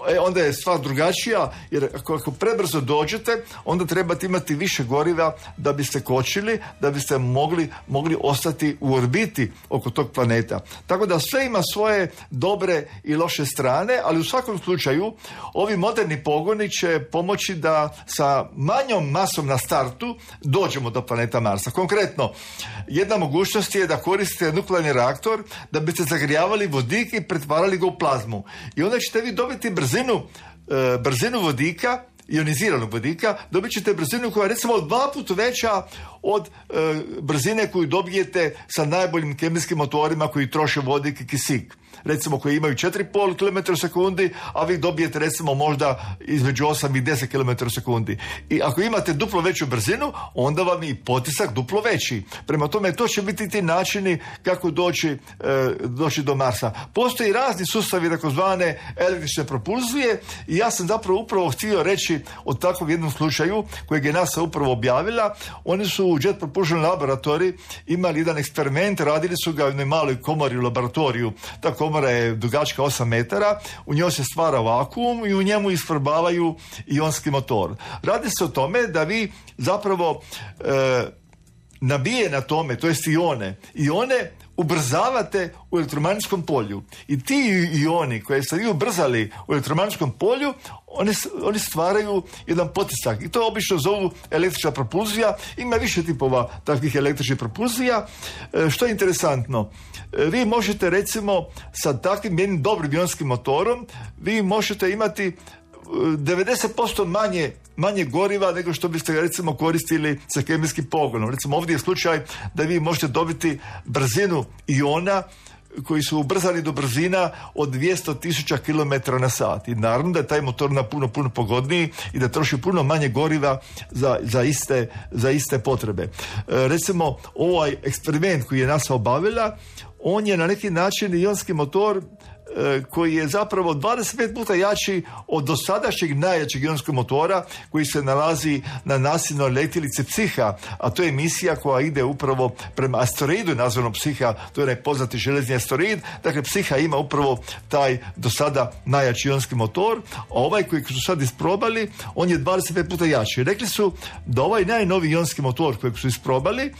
E, onda je stvar drugačija, jer ako, ako prebrzo dođete, onda trebate imati više goriva da biste kočili, da biste mogli, mogli ostati u orbiti oko tog planeta. Tako da sve ima svoje dobre i loše strane, ali u svakom slučaju ovi moderni pogoni će pomoći da sa manjom masom na startu dođemo do planeta Marsa. Konkretno, jedna mogućnost je da koristite nuklearni reaktor da biste zagrijavali vodik i pretvarali ga u plazmu. I onda ćete vi dobiti brzinu Brzinu, e, brzinu vodika, ioniziranog vodika, dobit ćete brzinu koja je recimo dva puta veća od e, brzine koju dobijete sa najboljim kemijskim motorima koji troše vodik i kisik. Recimo koji imaju četiri i pol kilometra u sekundi, a vi dobijete recimo možda između osam i deset kilometara u sekundi. I ako imate duplo veću brzinu, onda vam je i potisak duplo veći. Prema tome, to će biti ti načini kako doći, e, doći do Marsa. Postoji razni sustavi takozvane električne propulzije i ja sam zapravo upravo htio reći o takvom jednom slučaju kojeg je NASA upravo objavila. Oni su u Jet Propulsion Laboratory imali jedan eksperiment, radili su ga u jednoj maloj komori u laboratoriju. Ta komora je dugačka osam metara, u njoj se stvara vakuum i u njemu isprobavaju ionski motor. Radi se o tome da vi zapravo e, nabije na tome, to jest ione, ione ubrzavate u elektromagnetskom polju. I ti ioni koje ste vi ubrzali u elektromagnetskom polju, oni, oni stvaraju jedan potisak. I to obično zovu električna propulzija. Ima više tipova takvih električnih propulzija. E, što je interesantno, e, vi možete recimo sa takvim jednim dobrim ionskim motorom, vi možete imati devedeset posto manje, manje goriva nego što biste ga recimo koristili sa kemijskim pogonom. Recimo ovdje je slučaj da vi možete dobiti brzinu iona koji su ubrzali do brzina od dvjesto tisuća kilometara na sat. I naravno da je taj motor na puno, puno pogodniji i da troši puno manje goriva za, za, iste, za iste potrebe. E, recimo, ovaj eksperiment koji je NASA obavila, on je na neki način ionski motor koji je zapravo dvadeset pet puta jači od dosadašnjeg najjačeg ionskog motora koji se nalazi na nasilnoj letjelici Psiha, a to je misija koja ide upravo prema asteroidu nazvanom Psiha, to je onaj poznati železni asteroid. Dakle, Psiha ima upravo taj do sada najjači ionski motor, a ovaj koji su sad isprobali, on je dvadeset pet puta jači. Rekli su da ovaj najnoviji ionski motor kojeg su isprobali,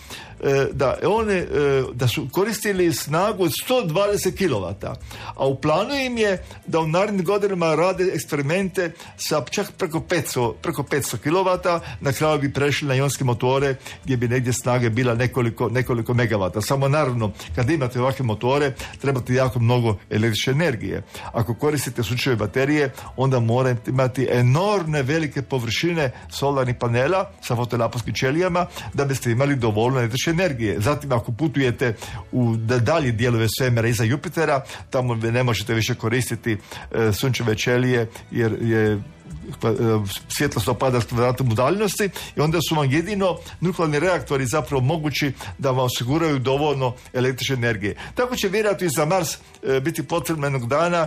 da, one, da su koristili snagu od sto dvadeset kilovata, a u planu im je da u narednim godinama rade eksperimente sa čak preko petsto, preko petsto kilovata, na kraju bi prešli na ionske motore gdje bi negdje snage bila nekoliko, nekoliko megavata. Samo naravno, kad imate ovakve motore, trebate jako mnogo električne energije. Ako koristite sunčeve baterije, onda morate imati enormne velike površine solarnih panela sa fotonaponskim ćelijama da biste imali dovoljno električne energije. Zatim, ako putujete u dalje dijelove svemira iza Jupitera, tamo ne možete više koristiti e, sunčeve ćelije jer je svjetlost opada s kvadratom udaljenosti i onda su vam jedino nuklearni reaktori zapravo mogući da vam osiguraju dovoljno električne energije. Tako će vjerojatno i za Mars e, biti potrebno jednog dana.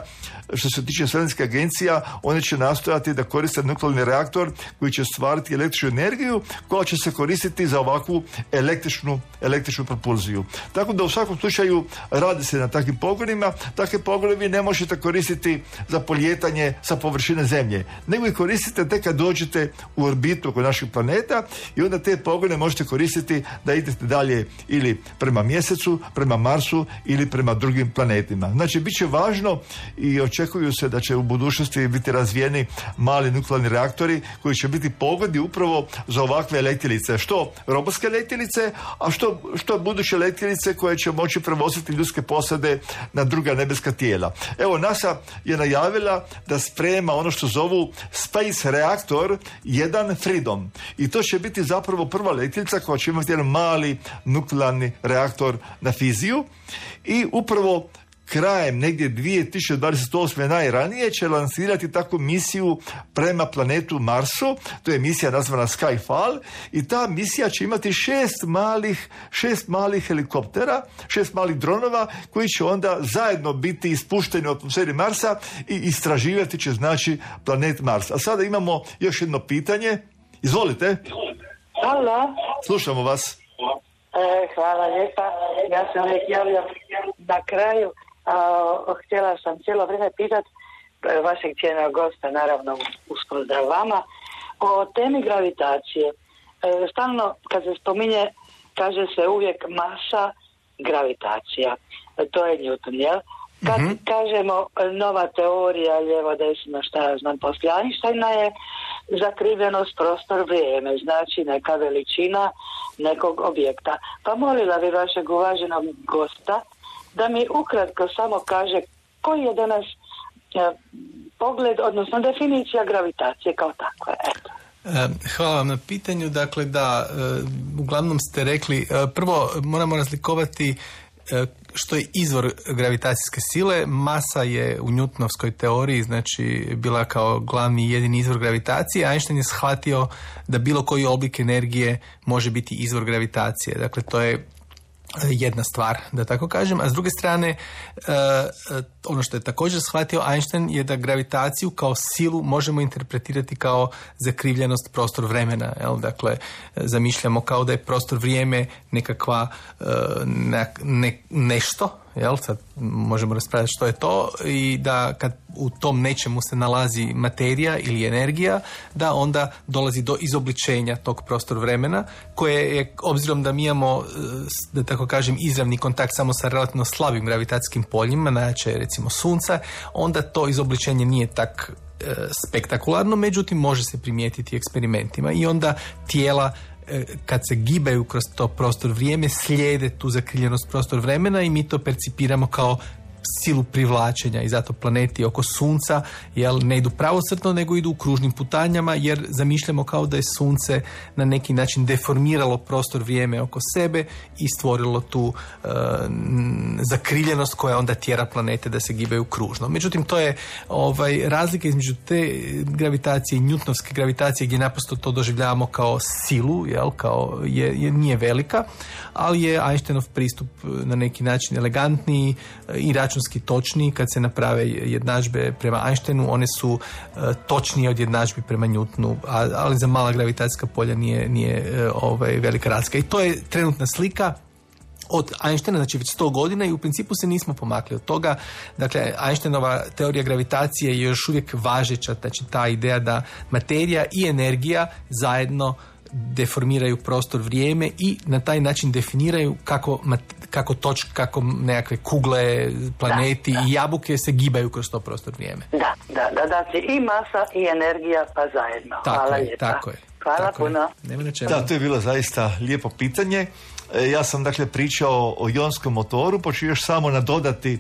Što se tiče svemirskih agencija, one će nastojati da koriste nuklearni reaktor koji će stvariti električnu energiju koja će se koristiti za ovakvu električnu, električnu propulziju. Tako da u svakom slučaju radi se na takvim pogonima. Takve pogone vi ne možete koristiti za polijetanje sa površine Zemlje, nego i koristite tek kad dođete u orbitu oko našeg planeta i onda te pogone možete koristiti da idete dalje ili prema Mjesecu, prema Marsu ili prema drugim planetima. Znači, bit će važno i očekuju se da će u budućnosti biti razvijeni mali nuklearni reaktori koji će biti pogodni upravo za ovakve letjelice. Što robotske letjelice, a što, što buduće letjelice koje će moći prevoziti ljudske posade na druga nebeska tijela. Evo, NASA je najavila da sprema ono što zovu Space Reaktor jedan Freedom. I to će biti zapravo prva letjelica koja će imati jedan mali nuklearni reaktor na fiziju i upravo krajem negdje dvije tisuće dvadeset osme najranije će lansirati takvu misiju prema planetu Marsu. To je misija nazvana Skyfall i ta misija će imati šest malih, šest malih helikoptera, šest malih dronova koji će onda zajedno biti ispušteni u atmosferi Marsa i istraživati će znači planet Mars. A sada imamo još jedno pitanje. Izvolite. Halo. Slušamo vas. E, hvala lijepa. Ja sam uvijek javljam na kraju. A, htjela sam cijelo vrijeme pitati vašeg cijenog gosta, naravno uz pozdrav vama, o temi gravitacije. E, stalno kad se spominje, kaže se uvijek masa, gravitacija. E, to je Newton, jel? Kad mm-hmm. kažemo nova teorija, lijevo desno, šta ja znam, poslije Einsteina je zakrivljenost prostor vrijeme, znači neka veličina nekog objekta. Pa molila bi vašeg uvaženog gosta da mi ukratko samo kaže koji je danas e, pogled, odnosno definicija gravitacije kao takva. Eto. Hvala vam na pitanju. Dakle, da, uglavnom ste rekli, prvo moramo razlikovati što je izvor gravitacijske sile. Masa je u Newtonovskoj teoriji, znači bila kao glavni i jedini izvor gravitacije. Einstein je shvatio da bilo koji oblik energije može biti izvor gravitacije. Dakle, to je jedna stvar, da tako kažem. A s druge strane, ono što je također shvatio Einstein je da gravitaciju kao silu možemo interpretirati kao zakrivljenost prostor vremena. Jel? Dakle, zamišljamo kao da je prostor vrijeme nekakva ne, ne, nešto, jel? Sad možemo raspravljati što je to i da kad u tom nečemu se nalazi materija ili energija, da onda dolazi do izobličenja tog prostor vremena koje je, obzirom da mi imamo, da tako kažem, izravni kontakt samo sa relativno slabim gravitacijskim poljima, najjače recimo sunca, onda to izobličenje nije tak e, spektakularno, međutim može se primijetiti eksperimentima i onda tijela kad se gibaju kroz to prostor vrijeme slijede tu zakrivljenost prostor vremena i mi to percipiramo kao silu privlačenja i zato planeti oko Sunca jel, ne idu pravocrtno nego idu u kružnim putanjama jer zamišljamo kao da je Sunce na neki način deformiralo prostor vrijeme oko sebe i stvorilo tu e, zakriljenost koja onda tjera planete da se gibaju kružno. Međutim, to je ovaj, razlika između te gravitacije i njutnovske gravitacije gdje naprosto to doživljavamo kao silu, jel, kao je, je, nije velika, ali je Einsteinov pristup na neki način elegantniji i računski točniji. Kad se naprave jednadžbe prema Einsteinu, one su uh, točnije od jednadžbi prema Newtonu, a, ali za mala gravitacijska polja nije, nije uh, ovaj, velika razlika. I to je trenutna slika od Einsteina, znači već sto godina i u principu se nismo pomakli od toga. Dakle, Einsteinova teorija gravitacije je još uvijek važeća, znači ta ideja da materija i energija zajedno deformiraju prostor, vrijeme i na taj način definiraju kako, kako točke, kako nekakve kugle, planeti da, da. i jabuke se gibaju kroz to prostor, vrijeme. Da, da, da, znači i masa i energija pa zajedno. Tako Hvala je, lijepa. tako je. Hvala tako puno. Je. Da, to je bilo zaista lijepo pitanje. Ja sam dakle pričao o ionskom motoru, pa ću još samo nadodati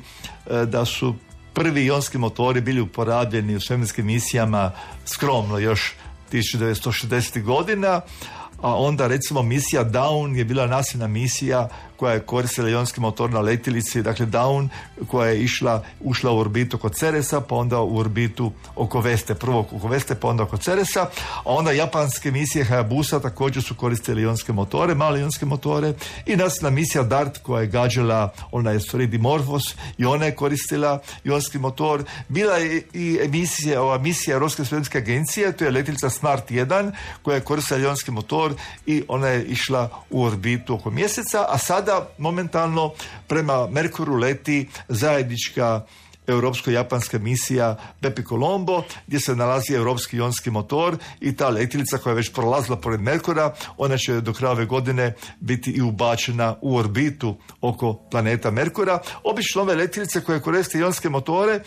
da su prvi ionski motori bili uporabljeni u svemirskim misijama skromno još tisuću devetsto šezdesetih godina, a onda recimo misija Dawn je bila nasilna misija koja je koristila ionski motor na letjelici, dakle Dawn, koja je išla, ušla u orbitu oko Ceresa, pa onda u orbitu oko Veste, prvo oko Veste, pa onda oko Ceresa, a onda japanske misije Hayabusa također su koristili ionske motore, male ionske motore, i nasilna misija Dart koja je gađala onaj asteroid Dimorphos, i ona je koristila ionski motor. Bila je i emisija, ova misija Europske svemirske agencije, to je letjelica Smart jedan koja je koristila ionski motor i ona je išla u orbitu oko mjeseca, a sada momentalno prema Merkuru leti zajednička europsko-japanska misija Bepi Colombo, gdje se nalazi europski ionski motor i ta letjelica koja je već prolazila pored Merkura, ona će do kraja ove godine biti i ubačena u orbitu oko planeta Merkura. Obično ove letjelice koje koriste ionske motore,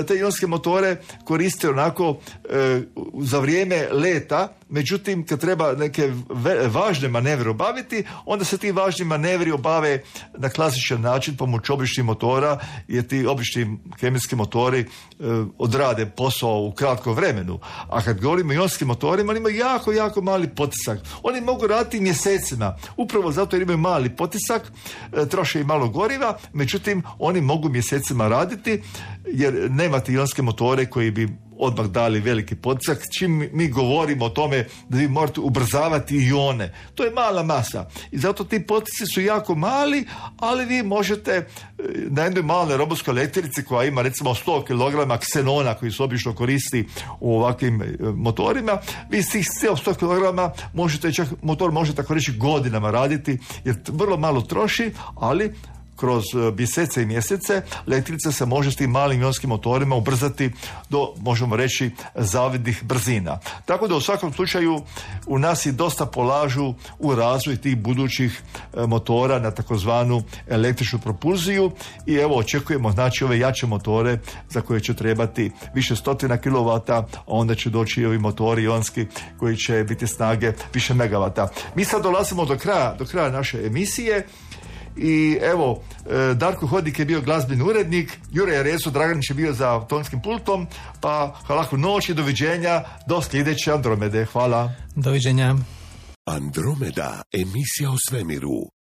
te ionske motore koriste onako e, za vrijeme leta, međutim kad treba neke ve, važne manevre obaviti, onda se ti važni manevri obave na klasičan način pomoću običnih motora, jer ti obični kemijski motori e, odrade posao u kratkom vremenu. A kad govorimo o ionskim motorima, oni imaju jako, jako mali potisak. Oni mogu raditi mjesecima. Upravo zato jer imaju mali potisak, e, troše i malo goriva, međutim, oni mogu mjesecima raditi, jer nemate ionske motore koji bi odmah dali veliki potisak. Čim mi govorimo o tome da vi morate ubrzavati ione, to je mala masa. I zato ti potici su jako mali, ali vi možete na jednoj maloj robotskoj letjelici koja ima recimo sto kilograma ksenona koji se obično koristi u ovakvim motorima, vi s tih sto kilograma možete, čak motor može tako reći godinama raditi, jer vrlo malo troši, ali kroz mjesece i mjesece letjelica se može s tim malim ionskim motorima ubrzati do, možemo reći, zavidnih brzina. Tako da u svakom slučaju u nas i dosta polažu u razvoj tih budućih motora na takozvanu električnu propulziju i evo očekujemo znači ove jače motore za koje će trebati više stotina kilovata, a onda će doći i ovi motori ionski koji će biti snage više megavata. Mi sad dolazimo do kraja, do kraja naše emisije. I evo, Darko Hodnik je bio glazbeni urednik, Jure Rezo Draganić je bio za tonskim pultom, pa hvala noć i doviđenja do sljedeće Andromede. Hvala. Doviđenja. Andromeda, emisija o svemiru.